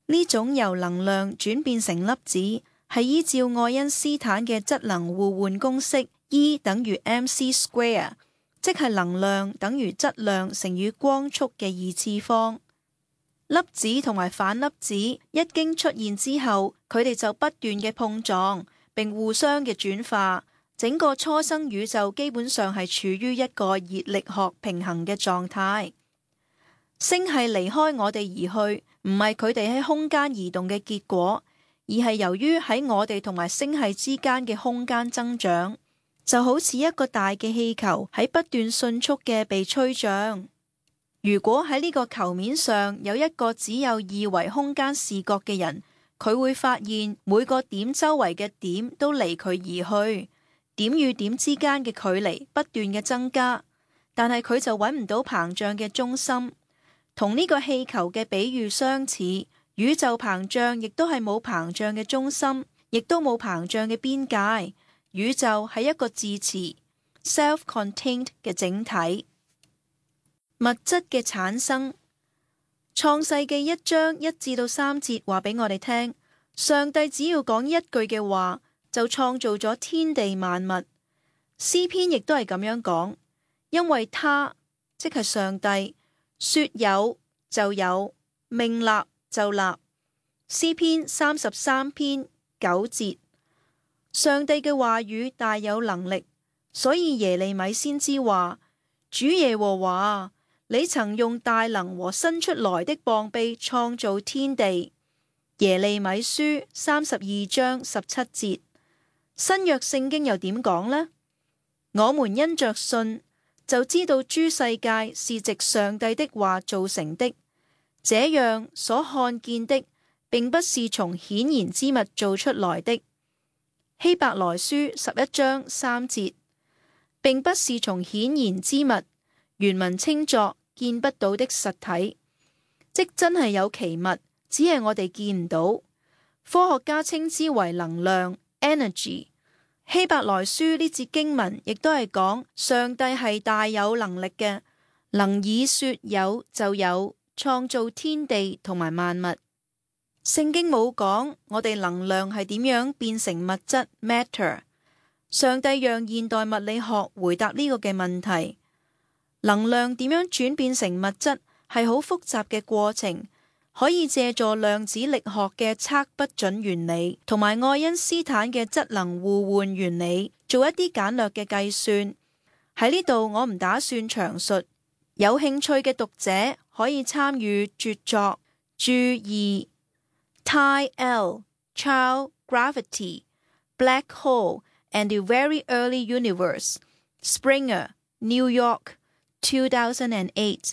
呢種由能量轉變成粒子，係依照愛因斯坦嘅質能互換公式 E 等於 mc square， 即係能量等於質量乘以光速嘅二次方。粒子同埋反粒子一經出現之後，佢哋就不斷嘅碰撞並互相嘅轉化，整個初生宇宙基本上係處於一個熱力學平衡嘅狀態。星系離開我哋而去，唔係佢哋喺空間移動嘅結果，而係由於喺我哋同埋星系之間嘅空間增長，就好似一個大嘅氣球喺不斷迅速嘅被吹脹。如果喺呢個球面上有一個只有二維空間視覺嘅人，佢會發現每個點周圍嘅點都離佢而去，點與點之間嘅距離不斷嘅增加，但係佢就揾唔到膨脹嘅中心。同呢個氣球嘅比喻相似，宇宙膨脹亦都係冇膨脹嘅中心，亦都冇膨脹嘅邊界。宇宙係一個自持 self-contained 嘅整體。物質嘅產生，創世記一章一至到三節話俾我哋聽，上帝只要講一句嘅話，就創造咗天地萬物。詩篇亦都係咁樣講，因為他即係上帝說有就有，命立就立。詩篇三十三篇九節，上帝嘅話語大有能力，所以耶利米先知話：主耶和華，你曾用大能和伸出來的膀臂創造天地。耶利米書三十二章十七節。新約聖經又點講呢？我們因着信就知道諸世界是藉上帝的話造成的，這樣所看見的並不是從顯然之物做出來的。希伯來書十一章三節，並不是從顯然之物，原文稱作見不到的實體，即真係有其物，只係我哋見唔到。科學家稱之為能量 energy。希伯來書呢節經文亦都係講上帝係大有能力嘅，能以說有就有，創造天地同埋萬物。聖經冇講我哋能量係點樣變成物質 matter。上帝讓現代物理學回答呢個嘅問題。能量點樣轉變成物質係好複雜嘅過程，可以借助量子力學嘅測不準原理同埋愛因斯坦嘅質能互換原理做一啲簡略嘅計算。喺呢度我唔打算詳述，有興趣嘅讀者可以參與著作注意 Ty L. Child Gravity, Black Hole and the Very Early Universe, Springer, New York, two thousand eight。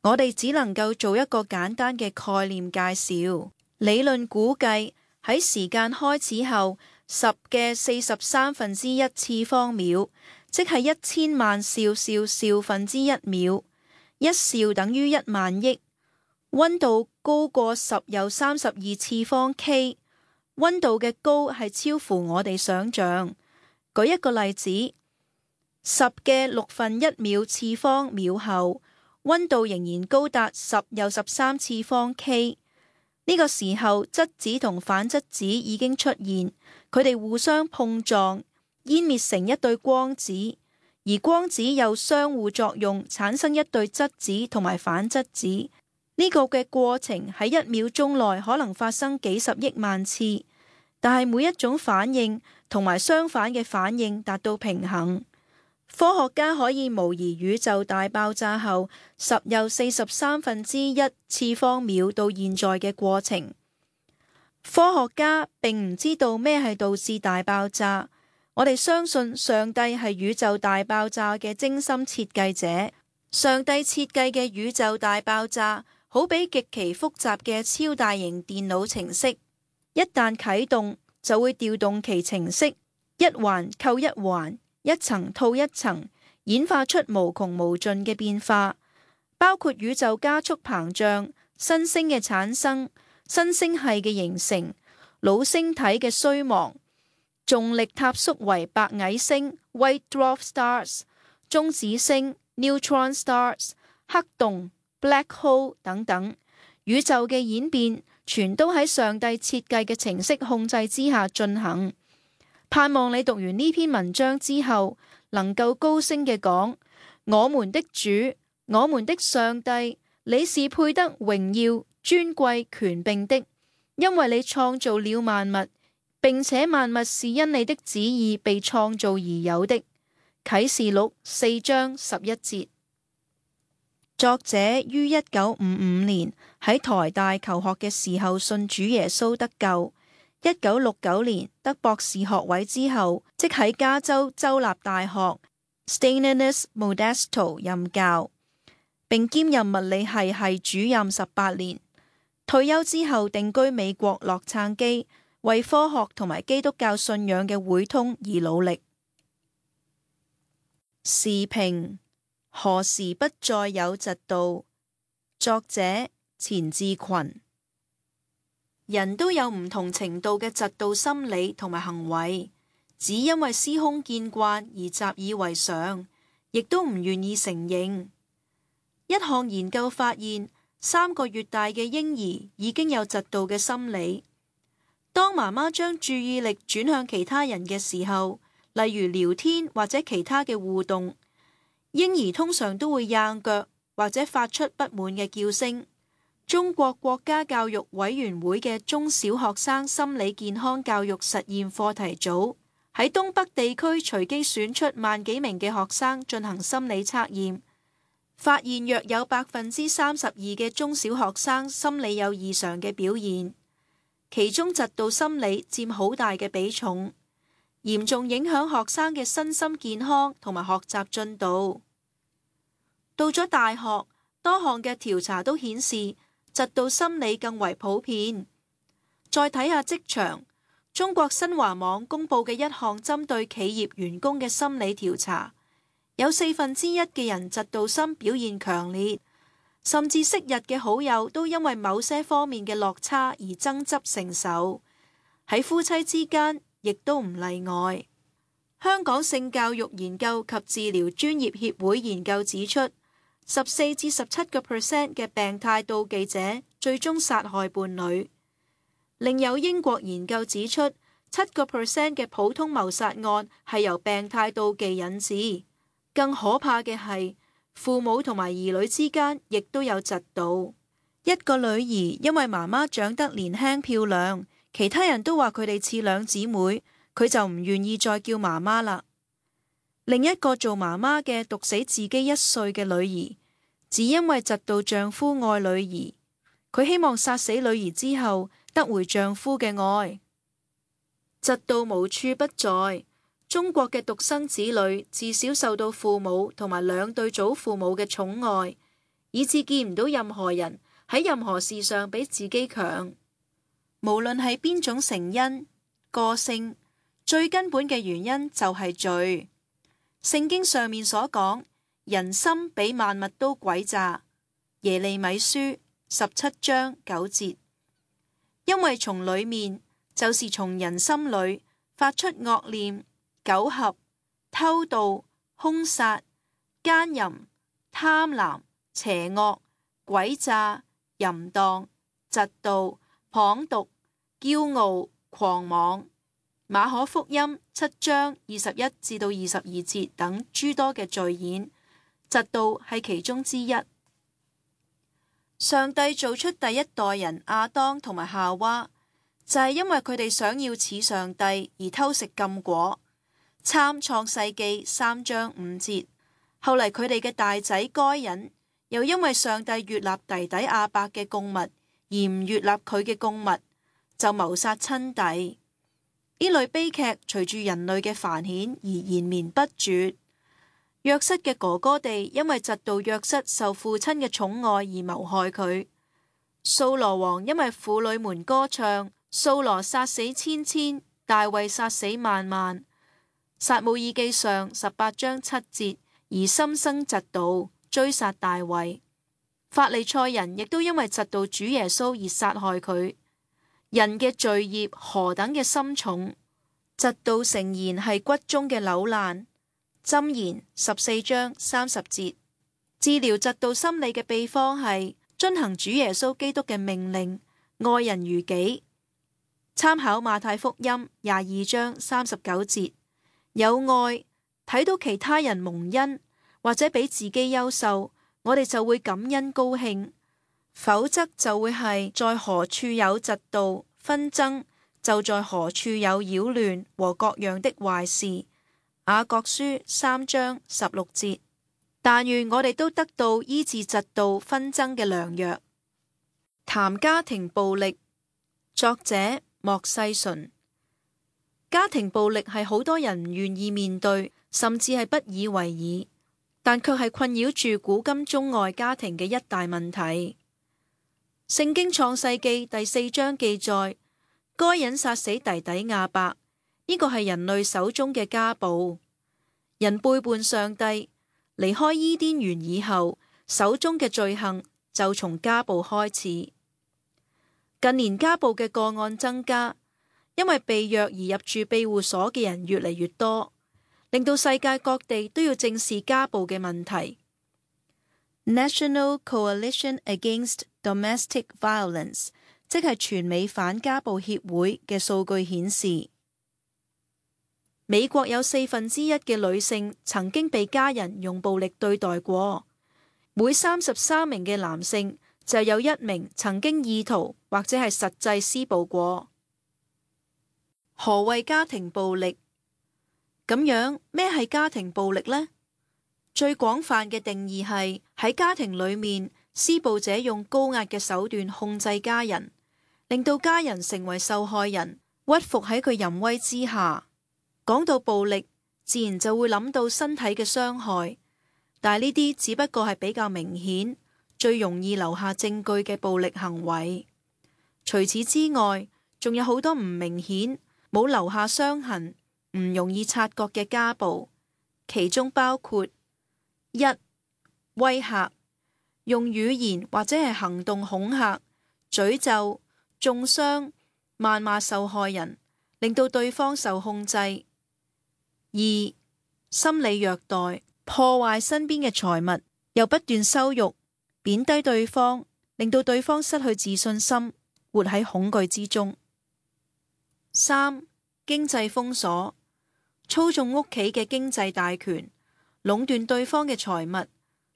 我哋只能夠做一個簡單嘅概念介紹。理論估計喺時間開始後十嘅四十三分之一次方秒，即係一千萬兆兆兆分之一秒，一兆等於一萬億。溫度高過十有三十二次方 K， 溫度嘅高係超乎我哋想象。舉一個例子，十嘅六分一秒次方秒後，溫度仍然高達十有十三次方 K。呢個時候質子同反質子已經出現，佢哋互相碰撞，湮滅成一對光子，而光子又相互作用，產生一對質子同埋反質子。呢個嘅過程喺一秒鐘內可能發生幾十億萬次，但係每一種反應同埋相反嘅反應達到平衡。科學家可以模擬宇宙大爆炸後十有四十三分之一次方秒到現在嘅過程。科學家並唔知道咩係導致大爆炸，我哋相信上帝係宇宙大爆炸嘅精心設計者。上帝設計嘅宇宙大爆炸好比極其複雜嘅超大型電腦程式，一旦啟動就會調動其程式，一環扣一環，一層套一層，演化出無窮無盡嘅變化，包括宇宙加速膨脹、新星嘅產生、新星系嘅形成、老星體嘅衰亡、重力塌縮為白矮星 （White Dwarf Stars）、中子星 （Neutron Stars）、黑洞 （Black Hole） 等等。宇宙嘅演變全都喺上帝設計嘅程式控制之下進行。盼望你讀完呢篇文章之後，能夠高聲嘅講：我們的主，我們的上帝，你是配得榮耀、尊貴、權柄的，因為你創造了萬物，並且萬物是因你的旨意被創造而有的。啟示錄四章十一節。作者於一九五五年喺台大求學嘅時候信主耶穌得救。一九六九年得博士學位之後，即喺加州州立大學 Stanislaus Modesto 任教，並兼任物理系系主任十八年。退休之後定居美國洛杉磯，為科學同埋基督教信仰嘅會通而努力。時評：何時不再有嫉妒？作者：錢志群。人都有唔同程度嘅嫉妒心理同埋行為，只因為司空見慣而習以為常，亦都唔願意承認。一項研究發現，三個月大嘅嬰兒已經有嫉妒嘅心理。當媽媽將注意力轉向其他人嘅時候，例如聊天或者其他嘅互動，嬰兒通常都會硬腳或者發出不滿嘅叫聲。中國國家教育委員會嘅中小學生心理健康教育實驗課題組喺東北地區隨機選出萬幾名嘅學生進行心理測驗，發現約有百分之三十二嘅中小學生心理有異常嘅表現，其中嫉妒心理佔好大嘅比重，嚴重影響學生嘅身心健康同埋學習進度。到咗大學，多項嘅調查都顯示嫉妒心理更為普遍。再睇下職場，中國新華網公佈嘅一項針對企業員工嘅心理調查，有四分之一嘅人嫉妒心表現強烈，甚至昔日嘅好友都因為某些方面嘅落差而爭執成仇，喺夫妻之間亦都唔例外。香港性教育研究及治療專業協會研究指出，十四至十七個 percent 嘅病態妒忌者最終殺害伴侶。另有英國研究指出，七個 percent 嘅普通謀殺案係由病態妒忌引致。更可怕嘅係，父母同埋兒女之間亦都有嫉妒。一個女兒因為媽媽長得年輕漂亮，其他人都話佢哋似兩姊妹，佢就唔願意再叫媽媽啦。另一個做媽媽嘅毒死自己一歲嘅女兒，只因為嫉妒丈夫愛女兒，佢希望殺死女兒之後得回丈夫嘅愛。嫉妒無處不在，中國嘅獨生子女自小受到父母同埋兩對祖父母嘅寵愛，以致見唔到任何人喺任何事上比自己強。無論係邊種成因，個性最根本嘅原因就係罪。聖經上面所講，人心比萬物都詭詐，耶利米書十七章九節。因為從裏面，就是從人心裏發出惡念、苟合、偷盜、兇殺、奸淫、貪婪、邪惡、詭詐、淫蕩、嫉妒、謗讟、驕傲、狂妄。馬可福音七章二十一至到二十二節等諸多嘅罪愆，嫉妒係其中之一。上帝做出第一代人亞當同埋夏娃，就係因為佢哋想要似上帝而偷食禁果。參創世記三章五節。後嚟佢哋嘅大仔該隱，又因為上帝悅納弟弟亞伯嘅供物，而唔悅納佢嘅供物，就謀殺親弟。呢類悲劇隨住人類嘅繁衍而延綿不絕。約瑟嘅哥哥哋因為嫉妒約瑟受父親嘅寵愛而謀害佢。掃羅王因為婦女們歌唱，掃羅殺死千千，大衛殺死萬萬。撒母耳記上十八章七節，而心生嫉妒，追殺大衛。法利賽人亦都因為嫉妒主耶穌而殺害佢。人嘅罪孽何等嘅深重，嫉妒誠然係骨中嘅朽爛。箴言十四章三十節。治療嫉妒心理嘅秘方係遵行主耶穌基督嘅命令，愛人如己。參考馬太福音廿二章三十九節。有愛，睇到其他人蒙恩或者比自己優秀，我哋就會感恩高興。否則就會係在何處有嫉妒紛爭，就在何處有擾亂和各樣的壞事。雅各書三章十六節。但願我哋都得到醫治嫉妒紛爭嘅良藥。談家庭暴力，作者莫世純。家庭暴力係好多人唔願意面對，甚至係不以為意，但卻係困擾住古今中外家庭嘅一大問題。聖經創世記第四章記載，該隱殺死弟弟亞伯，呢個係人類手中嘅家暴。人背叛上帝，離開伊甸園以後，手中嘅罪行就從家暴開始。近年家暴嘅個案增加，因為被虐而入住庇護所嘅人越嚟越多，令到世界各地都要正視家暴嘅問題。National Coalition Against Domestic Violence， 即係全美反家暴協會嘅數據顯示，美國有四分之一嘅女性曾經被家人用暴力對待過，每三十三名嘅男性就有一名曾經意圖或者係實際施暴過。何謂家庭暴力？咁樣咩係家庭暴力呢？最廣泛嘅定義係喺家庭裏面，施暴者用高壓嘅手段控制家人，令到家人成為受害人，屈服喺佢淫威之下。講到暴力，自然就會諗到身體嘅傷害，但係呢啲只不過係比較明顯、最容易留下證據嘅暴力行為。除此之外，仲有好多唔明顯、冇留下傷痕、唔容易察覺嘅家暴，其中包括一、威嚇，用語言或者係行動恐嚇、詛咒、中傷、謾罵受害人，令到對方受控制。二、心理虐待，破壞身邊嘅財物，又不斷羞辱、貶低對方，令到對方失去自信心，活喺恐懼之中。三、經濟封鎖，操縱屋企嘅經濟大權，壟斷對方嘅財物，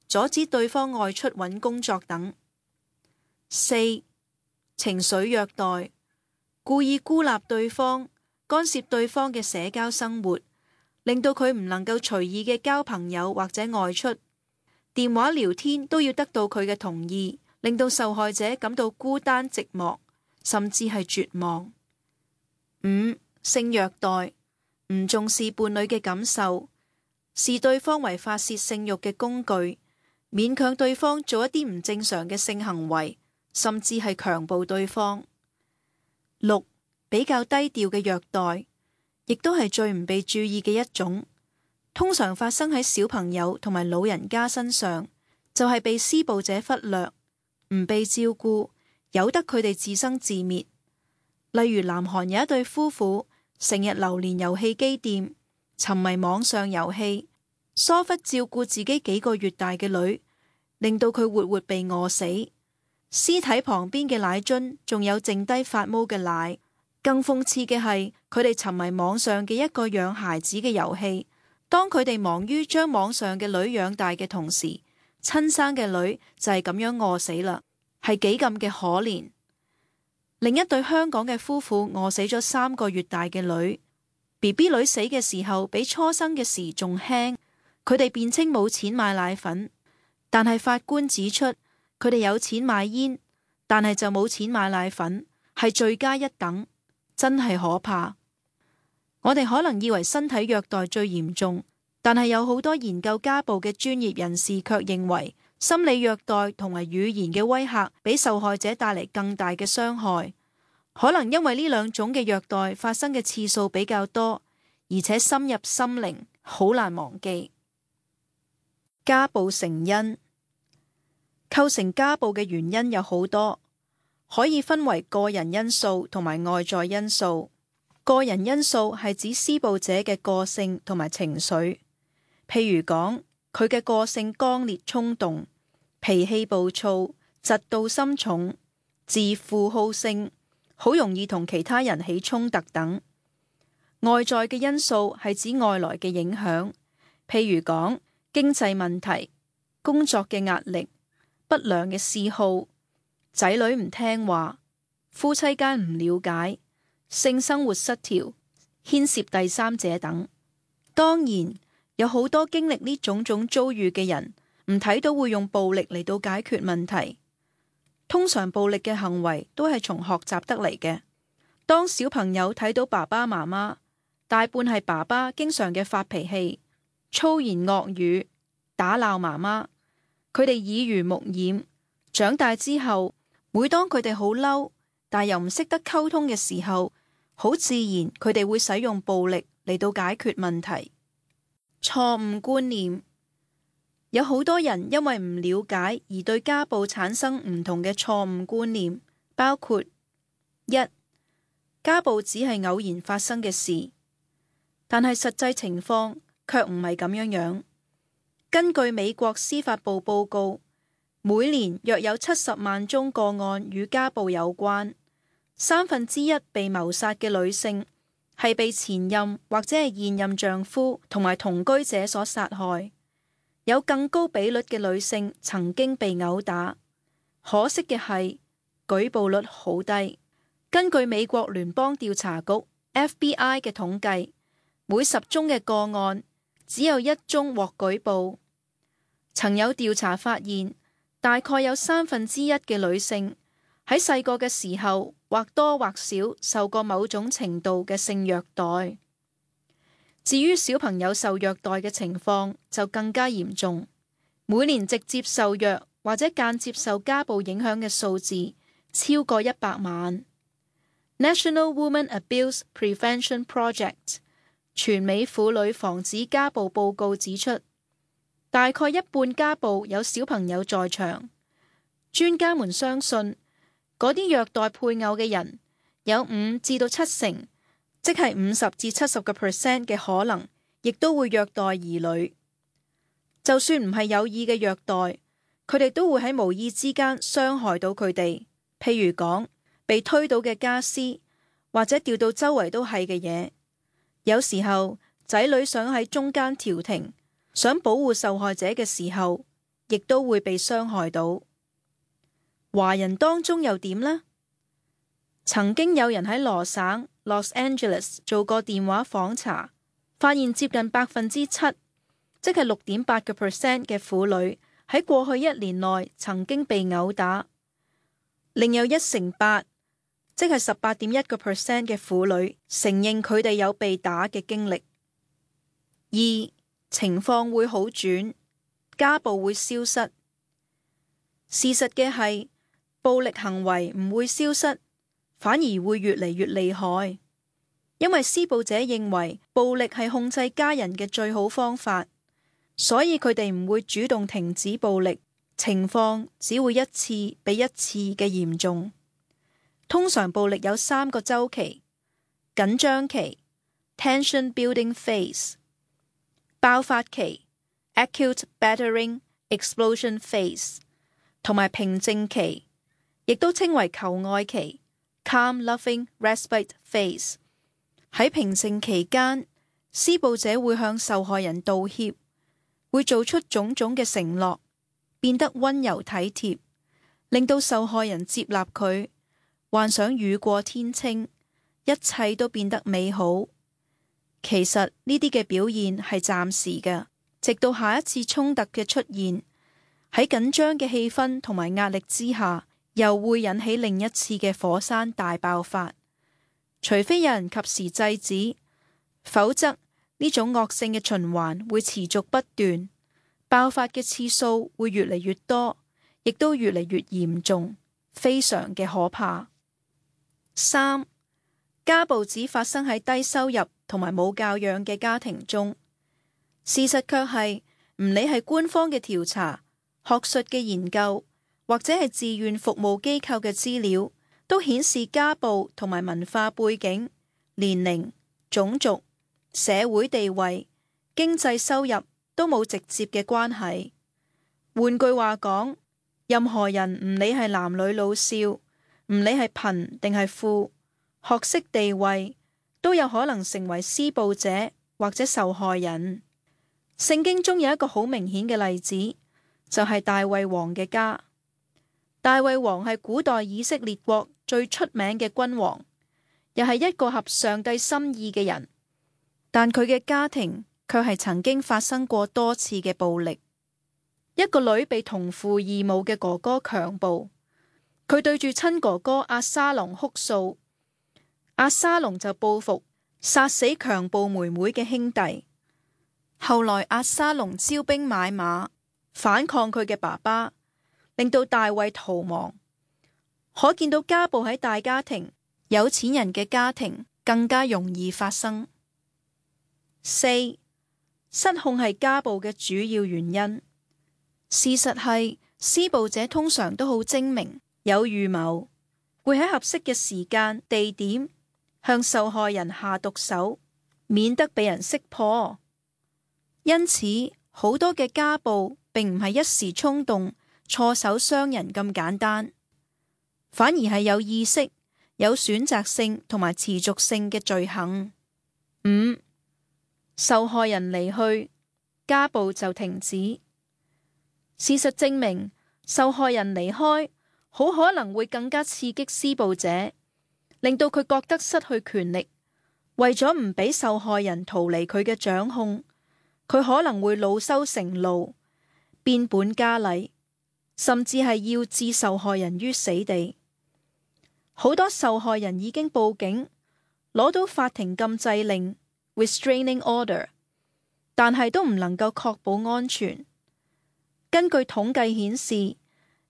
阻止對方外出揾工作等。四、情緒虐待，故意孤立對方，干涉對方嘅社交生活，令到佢唔能夠隨意嘅交朋友或者外出，電話聊天都要得到佢嘅同意，令到受害者感到孤單寂寞，甚至係絕望。五、性虐待，唔重視伴侶嘅感受，視對方為發洩性慾嘅工具，勉強對方做一啲唔正常嘅性行為，甚至係強暴對方。六、比較低調嘅虐待，亦都係最唔被注意嘅一種，通常發生喺小朋友同埋老人家身上，就係被施暴者忽略，唔被照顧，由得佢哋自生自滅。例如南韓有一對夫婦，成日流連遊戲機店，沉迷網上遊戲，疏忽照顧自己幾個月大嘅女，令到佢活活被餓死。屍體旁邊嘅奶樽仲有剩低發毛嘅奶。更諷刺嘅係，佢哋沉迷網上嘅一個養孩子嘅遊戲。當佢哋忙於將網上嘅女養大嘅同時，親生嘅女就係咁樣餓死啦，係幾咁嘅可憐。另一對香港嘅夫婦餓死咗三個月大嘅女 ，B B 女死嘅時候比初生嘅時仲輕。佢哋辯稱冇錢買奶粉，但係法官指出佢哋有錢買煙，但係就冇錢買奶粉，係罪加一等。真係可怕。我哋可能以為身體虐待最嚴重，但係有好多研究家暴嘅專業人士卻認為，心理虐待同埋語言嘅威嚇比受害者帶嚟更大嘅傷害。可能因為呢兩種嘅虐待發生嘅次數比較多，而且深入心靈，好難忘記。家暴成因，構成家暴嘅原因有好多。可以分為個人因素同埋外在因素。個人因素係指施暴者嘅個性同埋情緒，譬如講佢嘅個性剛烈衝動、脾氣暴躁、嫉妒心重、自負好勝，好容易同其他人起衝突等。外在嘅因素係指外來嘅影響，譬如講經濟問題、工作嘅壓力、不良嘅嗜好、仔女唔聽話、夫妻間唔了解、性生活失調、牽涉第三者等。當然，有好多經歷呢種種遭遇嘅人，唔睇到會用暴力嚟到解決問題。通常暴力嘅行為都係從學習得嚟嘅。當小朋友睇到爸爸媽媽，大半係爸爸經常嘅發脾氣、粗言惡語、打鬧媽媽，佢哋耳濡目染，長大之後，每當佢哋好嬲，但又唔識得溝通嘅時候，好自然佢哋會使用暴力嚟到解決問題。錯誤觀念，有好多人因為唔了解而對家暴產生唔同嘅錯誤觀念，包括一、家暴只係偶然發生嘅事，但係實際情況卻唔係咁樣樣。根據美國司法部報告，每年約有七十萬宗個案與家暴有關，三分之一被謀殺嘅女性係被前任或者係現任丈夫同埋同居者所殺害。有更高比率嘅女性曾經被毆打，可惜嘅係舉報率好低。根據美國聯邦調查局 F B I 嘅統計，每十宗嘅個案只有一宗獲舉報。曾有調查發現，大概有三分之一嘅女性喺細個嘅時候或多或少受過某種程度嘅性虐待。至於小朋友受虐待嘅情況就更加嚴重，每年直接受虐或者間接受家暴影響嘅數字超過一百萬。National Women Abuse Prevention Project 全美婦女防止家暴報告指出，大概一半家暴有小朋友在場。專家們相信，嗰啲虐待配偶嘅人有五至到七成，即係五十至七十個 percent 嘅可能，亦都會虐待兒女。就算唔係有意嘅虐待，佢哋都會喺無意之間傷害到佢哋。譬如講，被推倒嘅家私，或者掉到周圍都係嘅嘢。有時候仔女想喺中間調停，想保護受害者嘅時候，亦都會被傷害到。華人當中又點呢？曾經有人喺羅省 Los Angeles 做過電話訪查，發現接近百分之七，即係六點八個 percent 嘅婦女喺過去一年內曾經被毆打，另有一成八，即係十八點一個 percent 嘅婦女承認佢哋有被打嘅經歷。二、情況會好轉，家暴會消失。事實嘅係，暴力行為唔會消失，反而會越嚟越厲害，因為施暴者認為暴力係控制家人嘅最好方法，所以佢哋唔會主動停止暴力，情況只會一次比一次嘅嚴重。通常暴力有三個週期：緊張期 （tension building phase）、爆發期 （acute battering explosion phase） 同埋平靜期，亦都稱為求愛期 （calm loving respite phase）。喺平靜期間，施暴者會向受害人道歉，會做出種種嘅承諾，變得溫柔體貼，令到受害人接納佢，幻想雨過天晴，一切都變得美好。其實呢啲嘅表現係暫時嘅，直到下一次衝突嘅出現，喺緊張嘅氣氛同埋壓力之下，又會引起另一次嘅火山大爆發。除非有人及時制止，否則呢種惡性嘅循環會持續不斷，爆發嘅次數會越嚟越多，亦都越嚟越嚴重，非常嘅可怕。三、家暴只發生喺低收入同埋冇教養嘅家庭中。事實卻係，唔理係官方嘅調查、學術嘅研究，或者係志願服務機構嘅資料，都顯示家暴同埋文化背景、年齡、種族、社會地位、經濟收入都冇直接嘅關係。換句話講，任何人唔理係男女老少，唔理係貧定係富，學識地位，都有可能成為施暴者或者受害人。聖經中有一個好明顯嘅例子，就係大衛王嘅家。大衛王係古代以色列國最出名嘅君王，又係一個合上帝心意嘅人，但佢嘅家庭卻係曾經發生過多次嘅暴力。一個女被同父異母嘅哥哥強暴，佢對住親哥哥押沙龍哭訴，押沙龍就報復，殺死強暴妹妹嘅兄弟。後來押沙龍招兵買馬，反抗佢嘅爸爸，令到大衛逃亡。可見到家暴喺大家庭、有錢人嘅家庭更加容易發生。四、失控係家暴嘅主要原因。事實係，施暴者通常都好精明，有預謀，會喺合適嘅時間、地點向受害人下毒手，免得被人識破。因此，好多嘅家暴並唔係一時衝動、錯手傷人咁簡單，反而係有意識、有選擇性同埋持續性嘅罪行。五、受害人離去，家暴就停止。事實證明，受害人離開好可能會更加刺激施暴者，令到佢覺得失去權力。為咗唔俾受害人逃離佢嘅掌控，佢可能會惱羞成怒，變本加厲，甚至係要置受害人於死地。好多受害人已經報警，攞到法庭禁制令 （restraining order）， 但係都唔能夠確保安全。根據統計顯示，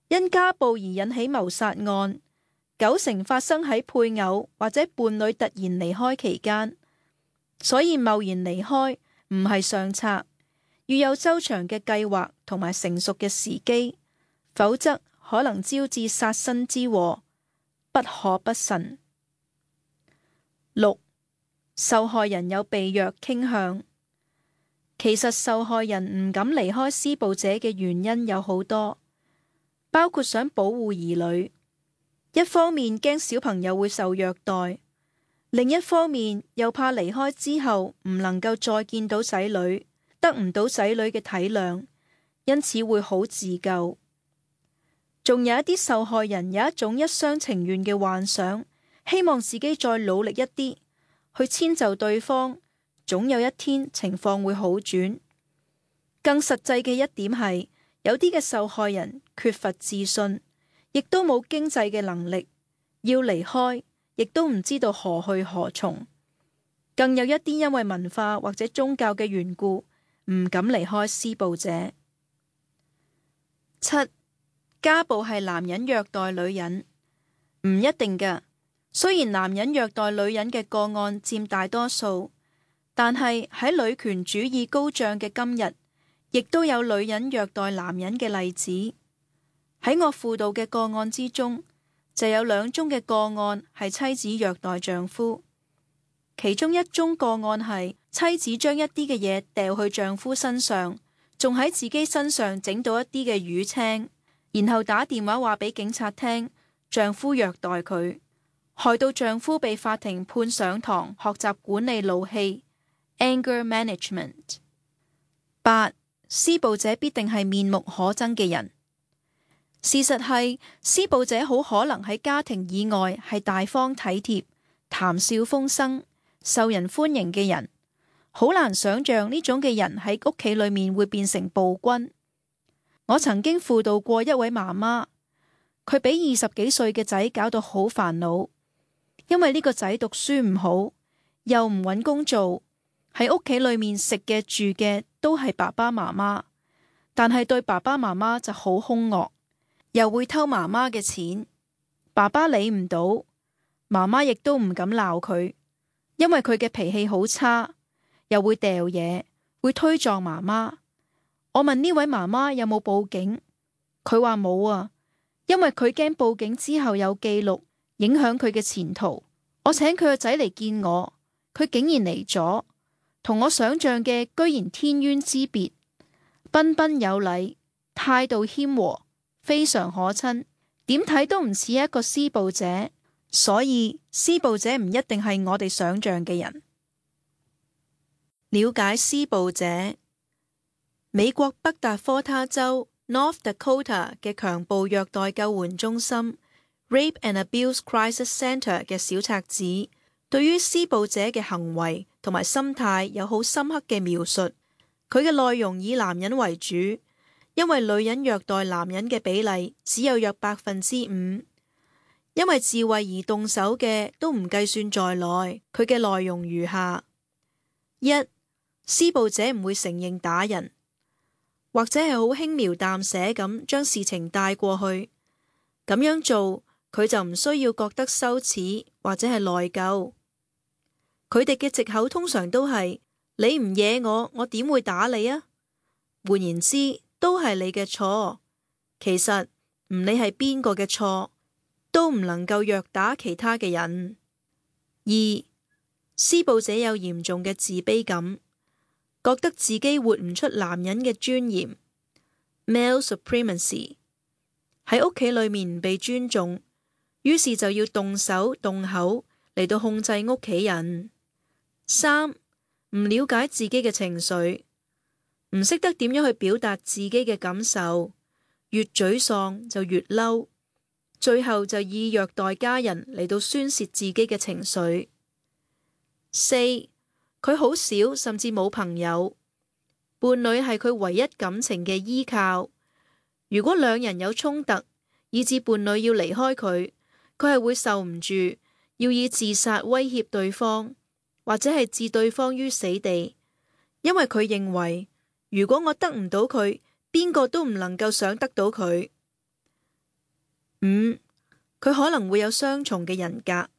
因家暴而引起謀殺案，九成發生喺配偶或者伴侶突然離開期間。所以貿然離開唔係上策，要有周詳嘅計劃同埋成熟嘅時機，否則可能招致殺身之禍，不可不慎。六、受害人有被虐傾向。其實受害人唔敢離開施暴者嘅原因有好多，包括想保護兒女，一方面驚小朋友會受虐待，另一方面又怕離開之後唔能夠再見到仔女，得唔到仔女嘅體諒，因此會好自救。仲有一啲受害人有一種一廂情願嘅幻想，希望自己再努力一啲，去遷就對方，總有一天情況會好轉。更實際嘅一點係，有啲嘅受害人缺乏自信，亦都冇經濟嘅能力，要離開，亦都唔知道何去何從。更有一啲因為文化或者宗教嘅緣故，唔敢離開施暴者。七、家暴係男人虐待女人，唔一定㗎。雖然男人虐待女人嘅個案佔大多數，但係喺女權主義高漲嘅今日，亦都有女人虐待男人嘅例子。喺我輔導嘅個案之中，就有兩宗嘅個案係妻子虐待丈夫。其中一宗個案係妻子將一啲嘅嘢掉去丈夫身上，仲喺自己身上整到一啲嘅瘀青，然後打電話話俾警察聽，丈夫虐待佢，害到丈夫被法庭判上堂學習管理怒氣 （anger management）。八、施暴者必定係面目可憎嘅人。事實係，施暴者好可能喺家庭以外係大方體貼、談笑風生、受人歡迎嘅人，好難想象呢種嘅人喺屋企裏面會變成暴君。我曾經輔導過一位媽媽，佢俾二十幾歲嘅仔搞到好煩惱，因為呢個仔讀書唔好，又唔搵工做，喺屋企裏面食嘅住嘅都係爸爸媽媽，但係對爸爸媽媽就好兇惡，又會偷媽媽嘅錢，爸爸理唔到，媽媽亦都唔敢鬧佢，因為佢嘅脾氣好差，又會掉嘢，會推撞媽媽。我問呢位媽媽有冇報警，佢話冇啊，因為佢驚報警之後有記錄，影響佢嘅前途。我請佢個仔嚟見我，佢竟然嚟咗，同我想象嘅居然天淵之別，彬彬有禮，態度謙和，非常可親，點睇都唔似一個施暴者。所以施暴者唔一定係我哋想象嘅人。了解施暴者。美國北達科他州 North Dakota 嘅強暴虐待救援中心 Rape and Abuse Crisis Center 嘅小冊子，對於施暴者嘅行為同埋心態有好深刻嘅描述。佢嘅內容以男人為主，因為女人虐待男人嘅比例只有約百分之五。因為自衛而動手嘅都唔計算在內。佢嘅內容如下：一、施暴者唔會承認打人，或者係好輕描淡寫咁將事情帶過去。咁樣做，佢就唔需要覺得羞恥或者係內疚。佢哋嘅藉口通常都係：你唔惹我，我點會打你啊？換言之，都係你嘅錯。其實唔理係邊個嘅錯，都唔能夠虐打其他嘅人。二、施暴者有嚴重嘅自卑感，覺得自己活唔出男人嘅尊嚴 （male supremacy）， 喺屋企裏面唔被尊重，於是就要動手動口嚟到控制屋企人。三、唔了解自己嘅情緒，唔識得點樣去表達自己嘅感受，越沮喪就越嬲，最後就以虐待家人嚟到宣洩自己嘅情緒。四，佢好少甚至冇朋友，伴侶係佢唯一感情嘅依靠。如果兩人有衝突，以致伴侶要離開佢，佢係會受唔住，要以自殺威脅對方，或者係置對方於死地，因為佢認為如果我得唔到佢，邊個都唔能夠想得到佢。五，佢可能會有雙重嘅人格，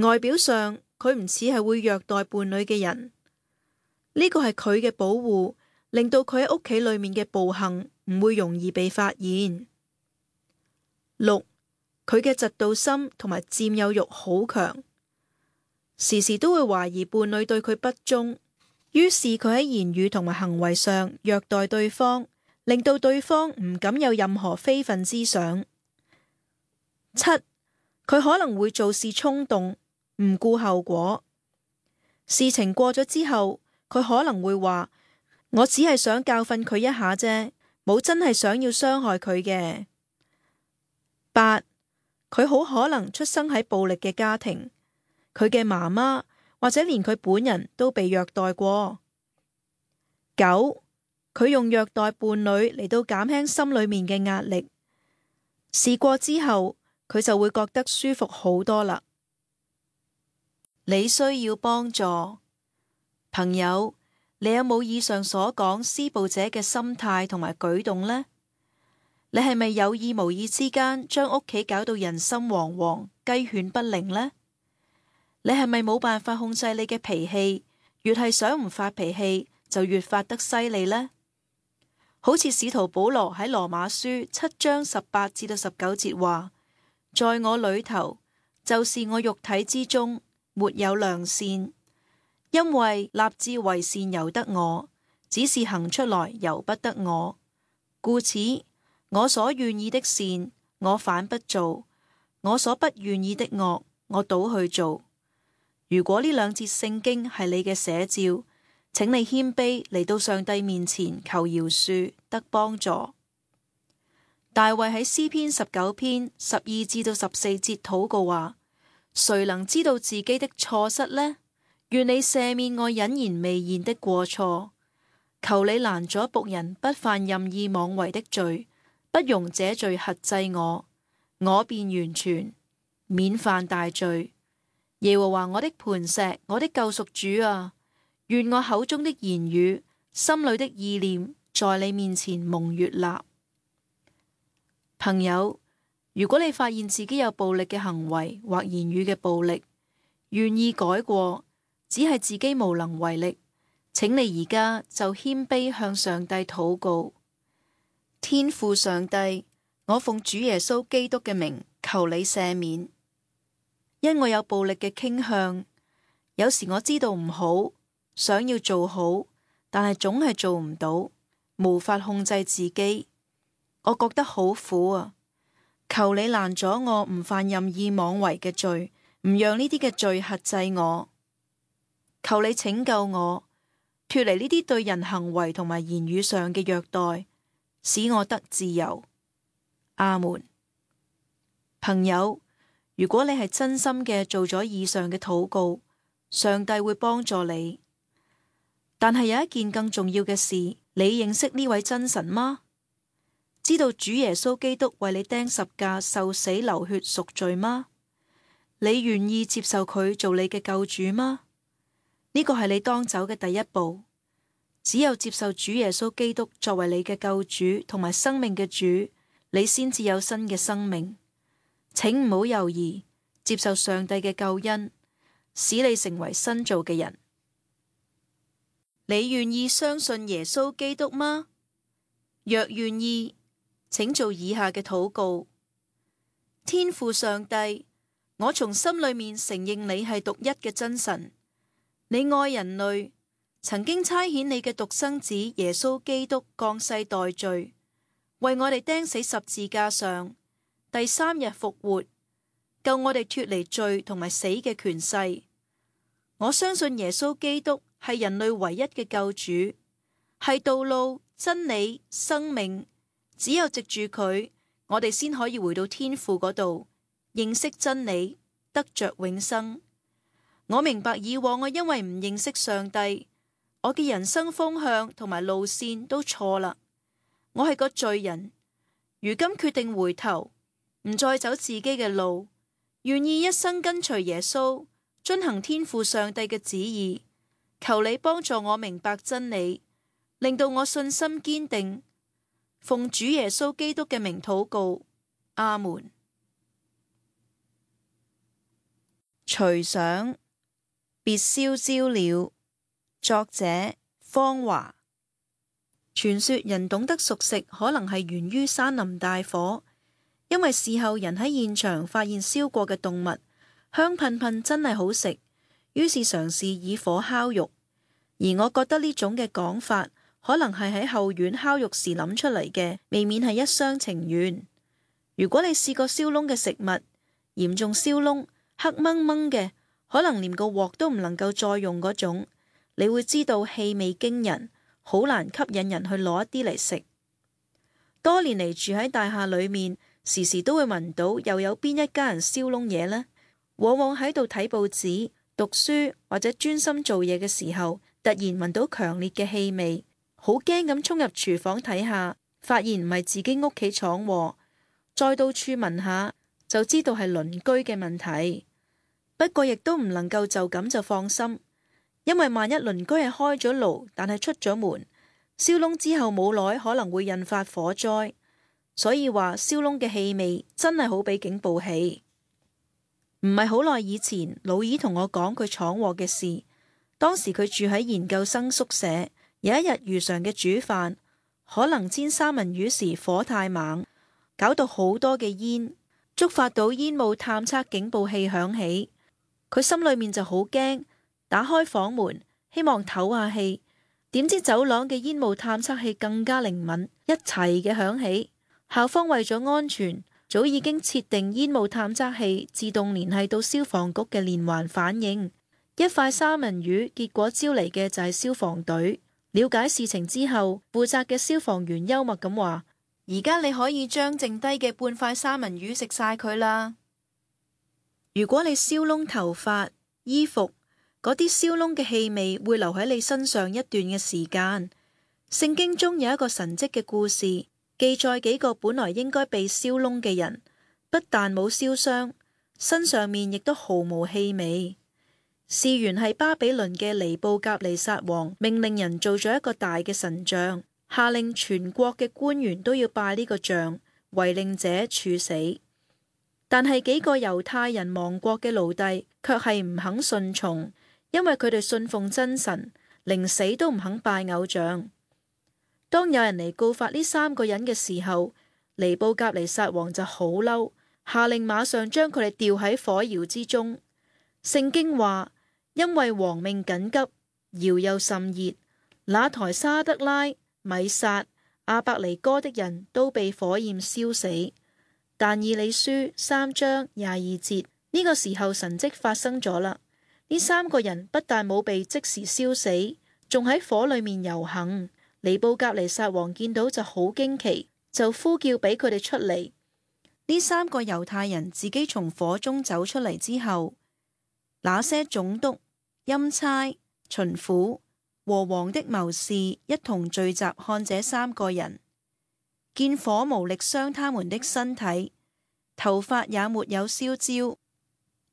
外表上佢唔似係會虐待伴侶嘅人，呢個係佢嘅保護，令到佢喺屋企裏面嘅暴行唔會容易被發現。六，佢嘅嫉妒心同埋佔有欲好強，時時都會懷疑伴侶對佢不忠，於是佢喺言語同埋行為上虐待對方，令到對方唔敢有任何非分之想。七，佢可能會做事衝動，唔顧後果，事情過咗之後，佢可能會話：我只係想教訓佢一下啫，冇真係想要傷害佢嘅。八，佢好可能出生喺暴力嘅家庭，佢嘅媽媽或者連佢本人都被虐待過。九，佢用虐待伴侶嚟到減輕心裏面嘅壓力，試過之後佢就會覺得舒服好多啦。你需要幫助，朋友，你有冇以上所講施暴者嘅心態同埋舉動呢？你係咪有意無意之間將屋企搞到人心惶惶、雞犬不寧呢？你係咪冇辦法控制你嘅脾氣，越係想唔發脾氣就越發得犀利呢？好似使徒保羅喺羅馬書七章十八至到十九節話：在我裏頭，就是我肉體之中，沒有良善，因為立志為善由得我，只是行出來由不得我。故此，我所願意的善，我反不做；我所不願意的惡，我倒去做。如果呢兩節聖經係你嘅寫照，請你謙卑嚟到上帝面前求饒恕，得幫助。大衛喺詩篇十九篇十二至到十四節禱告話：誰能知道自己的錯失呢？願你赦免我隱然未現的過錯，求你攔阻僕人不犯任意妄為的罪，不容這罪轄制我，我便完全，免犯大罪。耶和華我的磐石，我的救贖主啊，願我口中的言語、心裏的意念，在你面前蒙悅納。朋友，如果你發現自己有暴力嘅行為或言語嘅暴力，願意改過，只係自己無能為力，請你而家就謙卑向上帝禱告。天父上帝，我奉主耶穌基督嘅名求你赦免，因我有暴力嘅傾向，有時我知道唔好，想要做好，但係總係做唔到，無法控制自己，我覺得好苦啊！求你攔阻我唔犯任意妄為嘅罪，唔讓呢啲嘅罪轄制我。求你拯救我，脫離呢啲對人行為同埋言語上嘅虐待，使我得自由。阿門。朋友，如果你係真心嘅做咗以上嘅禱告，上帝會幫助你。但係有一件更重要嘅事，你認識呢位真神嗎？知道主耶穌基督為你釘十架受死流血贖罪嗎？你願意接受佢做你嘅救主嗎？呢個係你當走嘅第一步。只有接受主耶穌基督作為你嘅救主同埋生命嘅主，你先至有新嘅生命。請唔好猶豫，接受上帝嘅救恩，使你成為新造嘅人。你願意相信耶穌基督嗎？若願意，請做以下嘅禱告。天父上帝，我從心裏面承認你係獨一嘅真神，你愛人類，曾經差遣你嘅獨生子耶穌基督降世代罪，為我哋釘死十字架上，第三日復活，救我哋脫離罪同埋死嘅權勢。我相信耶穌基督係人類唯一嘅救主，係道路、真理、生命。只有藉住佢，我哋先可以回到天父嗰度，認識真理，得着永生。我明白以往我因為唔認識上帝，我嘅人生方向同埋路線都錯啦。我係個罪人，如今決定回頭，唔再走自己嘅路，願意一生跟隨耶穌，遵行天父上帝嘅旨意。求你幫助我明白真理，令到我信心堅定。奉主耶穌基督嘅名禱告，阿門。隨想別燒焦了，作者方華。傳說人懂得熟食可能係源於山林大火，因為事後人喺現場發現燒過嘅動物香噴噴，真係好食，於是嘗試以火烤肉。而我覺得呢種嘅講法可能係喺後院烤肉時諗出嚟嘅，未免係一廂情願。如果你試過燒燶嘅食物，嚴重燒燶，黑掹掹嘅，可能連個鑊都唔能夠再用嗰種，你會知道氣味驚人，好難吸引人去攞一啲嚟食。多年嚟住喺大廈裏面，時時都會聞到又有邊一家人燒燶嘢呢？往往喺度睇報紙、讀書或者專心做嘢嘅時候，突然聞到強烈嘅氣味，好驚咁衝入廚房睇下，發現唔係自己屋企闖禍，再到處聞下就知道係鄰居嘅問題。不過亦都唔能夠就咁就放心，因為萬一鄰居係開咗爐，但係出咗門，燒燶之後冇耐可能會引發火災。所以話燒燶嘅氣味真係好比警報器。唔係好耐以前，老二同我講佢闖禍嘅事。當時佢住喺研究生宿舍，有一日如常嘅煮飯，可能煎三文魚時火太猛，搞到好多嘅煙，觸發到煙霧探測警報器響起。佢心裏面就好驚，打開房門希望唞下氣，點知走廊嘅煙霧探測器更加靈敏，一齊嘅響起。校方為咗安全，早已經設定煙霧探測器自動聯繫到消防局嘅連環反應。一塊三文魚，結果招嚟嘅就係消防隊。了解事情之後，負責嘅消防員幽默咁話：而家你可以將剩低嘅半塊三文魚食晒佢啦。如果你燒燶頭髮、衣服，嗰啲燒燶嘅氣味會留喺你身上一段嘅時間。聖經中有一個神蹟嘅故事，記載幾個本來應該被燒燶嘅人，不但冇燒傷，身上面亦都毫無氣味。事源係巴比倫嘅尼布甲尼撒王命令人做咗一個大嘅神像，下令全國嘅官員都要拜呢個像，違令者處死。但係幾個猶太人亡國嘅奴隸卻係唔肯順從，因為佢哋信奉真神，寧死都唔肯拜偶像。當有人嚟告發呢三個人嘅時候，尼布甲尼撒王就好嬲，下令馬上將佢哋吊喺火窯之中。聖經話，因為王命緊急，窯又甚熱，那台沙得拉、米煞、亞伯尼哥的人都被火焰燒死。但以理書三章廿二節，呢個時候神蹟發生咗啦。呢三個人不但冇被即時燒死，仲喺火裏面遊行。尼布甲尼撒王見到就好驚奇，就呼叫俾佢哋出嚟。呢三個猶太人自己從火中走出嚟之後，那些總督、欽差、巡撫和王的謀士一同聚集看這三個人，見火無力傷他們的身體，頭髮也沒有燒焦，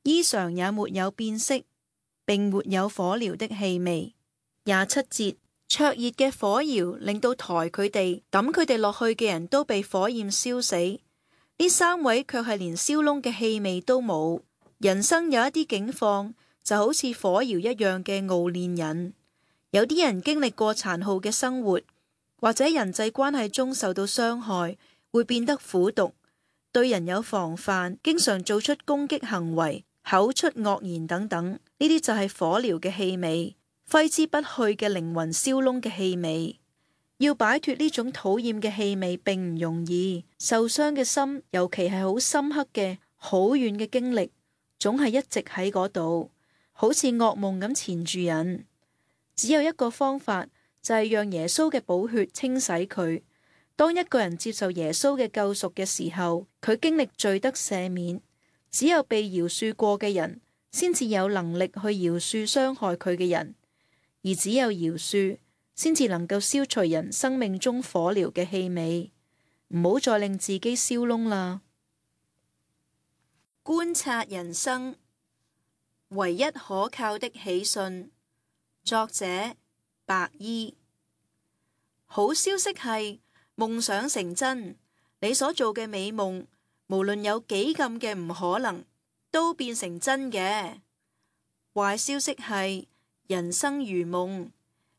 衣裳也沒有變色，並沒有火燎的氣味。廿七節，灼熱嘅火窯令到抬佢哋、抌佢哋落去嘅人都被火焰燒死，呢三位卻係連燒燶嘅氣味都冇。人生有一啲境況就好似火窯一樣嘅熬煉人。有啲人經歷過殘酷嘅生活，或者人際關係中受到傷害，會變得苦毒，對人有防範，經常做出攻擊行為，口出惡言等等。呢啲就係火燎嘅氣味，揮之不去嘅靈魂燒燶嘅氣味。要擺脫呢種討厭嘅氣味並唔容易，受傷嘅心，尤其係好深刻嘅、好遠嘅經歷，總係一直喺嗰度，好似噩夢咁纏住人。只有一個方法，就係讓耶穌嘅寶血清洗佢。當一個人接受耶穌嘅救贖嘅時候，佢經歷罪得赦免。只有被饒恕過嘅人，先至有能力去饒恕傷害佢嘅人，而只有饒恕，先至能夠消除人生命中火燎嘅氣味。唔好再令自己燒燶啦。觀察人生，唯一可靠的喜訊。作者白衣。好消息係夢想成真，你所做嘅美夢，無論有幾咁嘅唔可能，都變成真嘅。壞消息係人生如夢，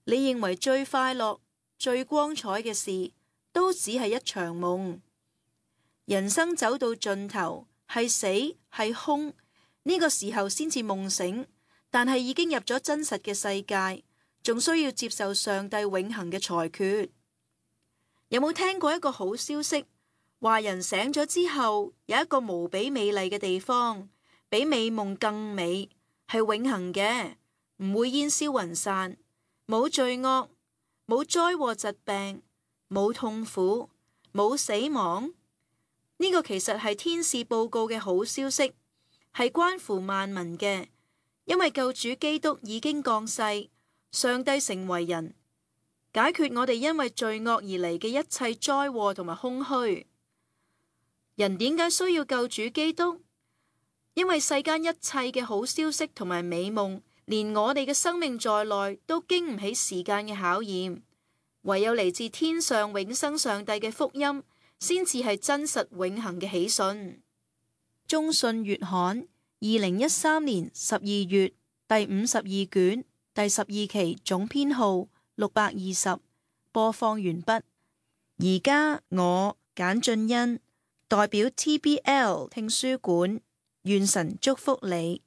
你認為最快樂、最光彩嘅事，都只係一場夢。人生走到盡頭，係死係空，呢個時候先至夢醒，但係已經入咗真實嘅世界，仲需要接受上帝永恆嘅裁決。有冇聽過一個好消息？話人醒咗之後，有一個無比美麗嘅地方，比美夢更美，係永恆嘅，唔會煙消雲散，冇罪惡，冇災禍疾病，冇痛苦，冇死亡。呢個其實係天使報告嘅好消息，係關乎萬民嘅，因為救主基督已經降世，上帝成為人，解決我哋因為罪惡而嚟嘅一切災禍同埋空虛。人點解需要救主基督？因為世間一切嘅好消息同埋美夢，連我哋嘅生命在內，都經唔起時間嘅考驗。唯有嚟自天上永生上帝嘅福音，先至係真實永恆嘅喜訊。中信月刊二零一三年十二月第五十二卷第十二期總編號六百二十，播放完畢。而家我簡俊欣代表 T B L 聽書館，願神祝福你。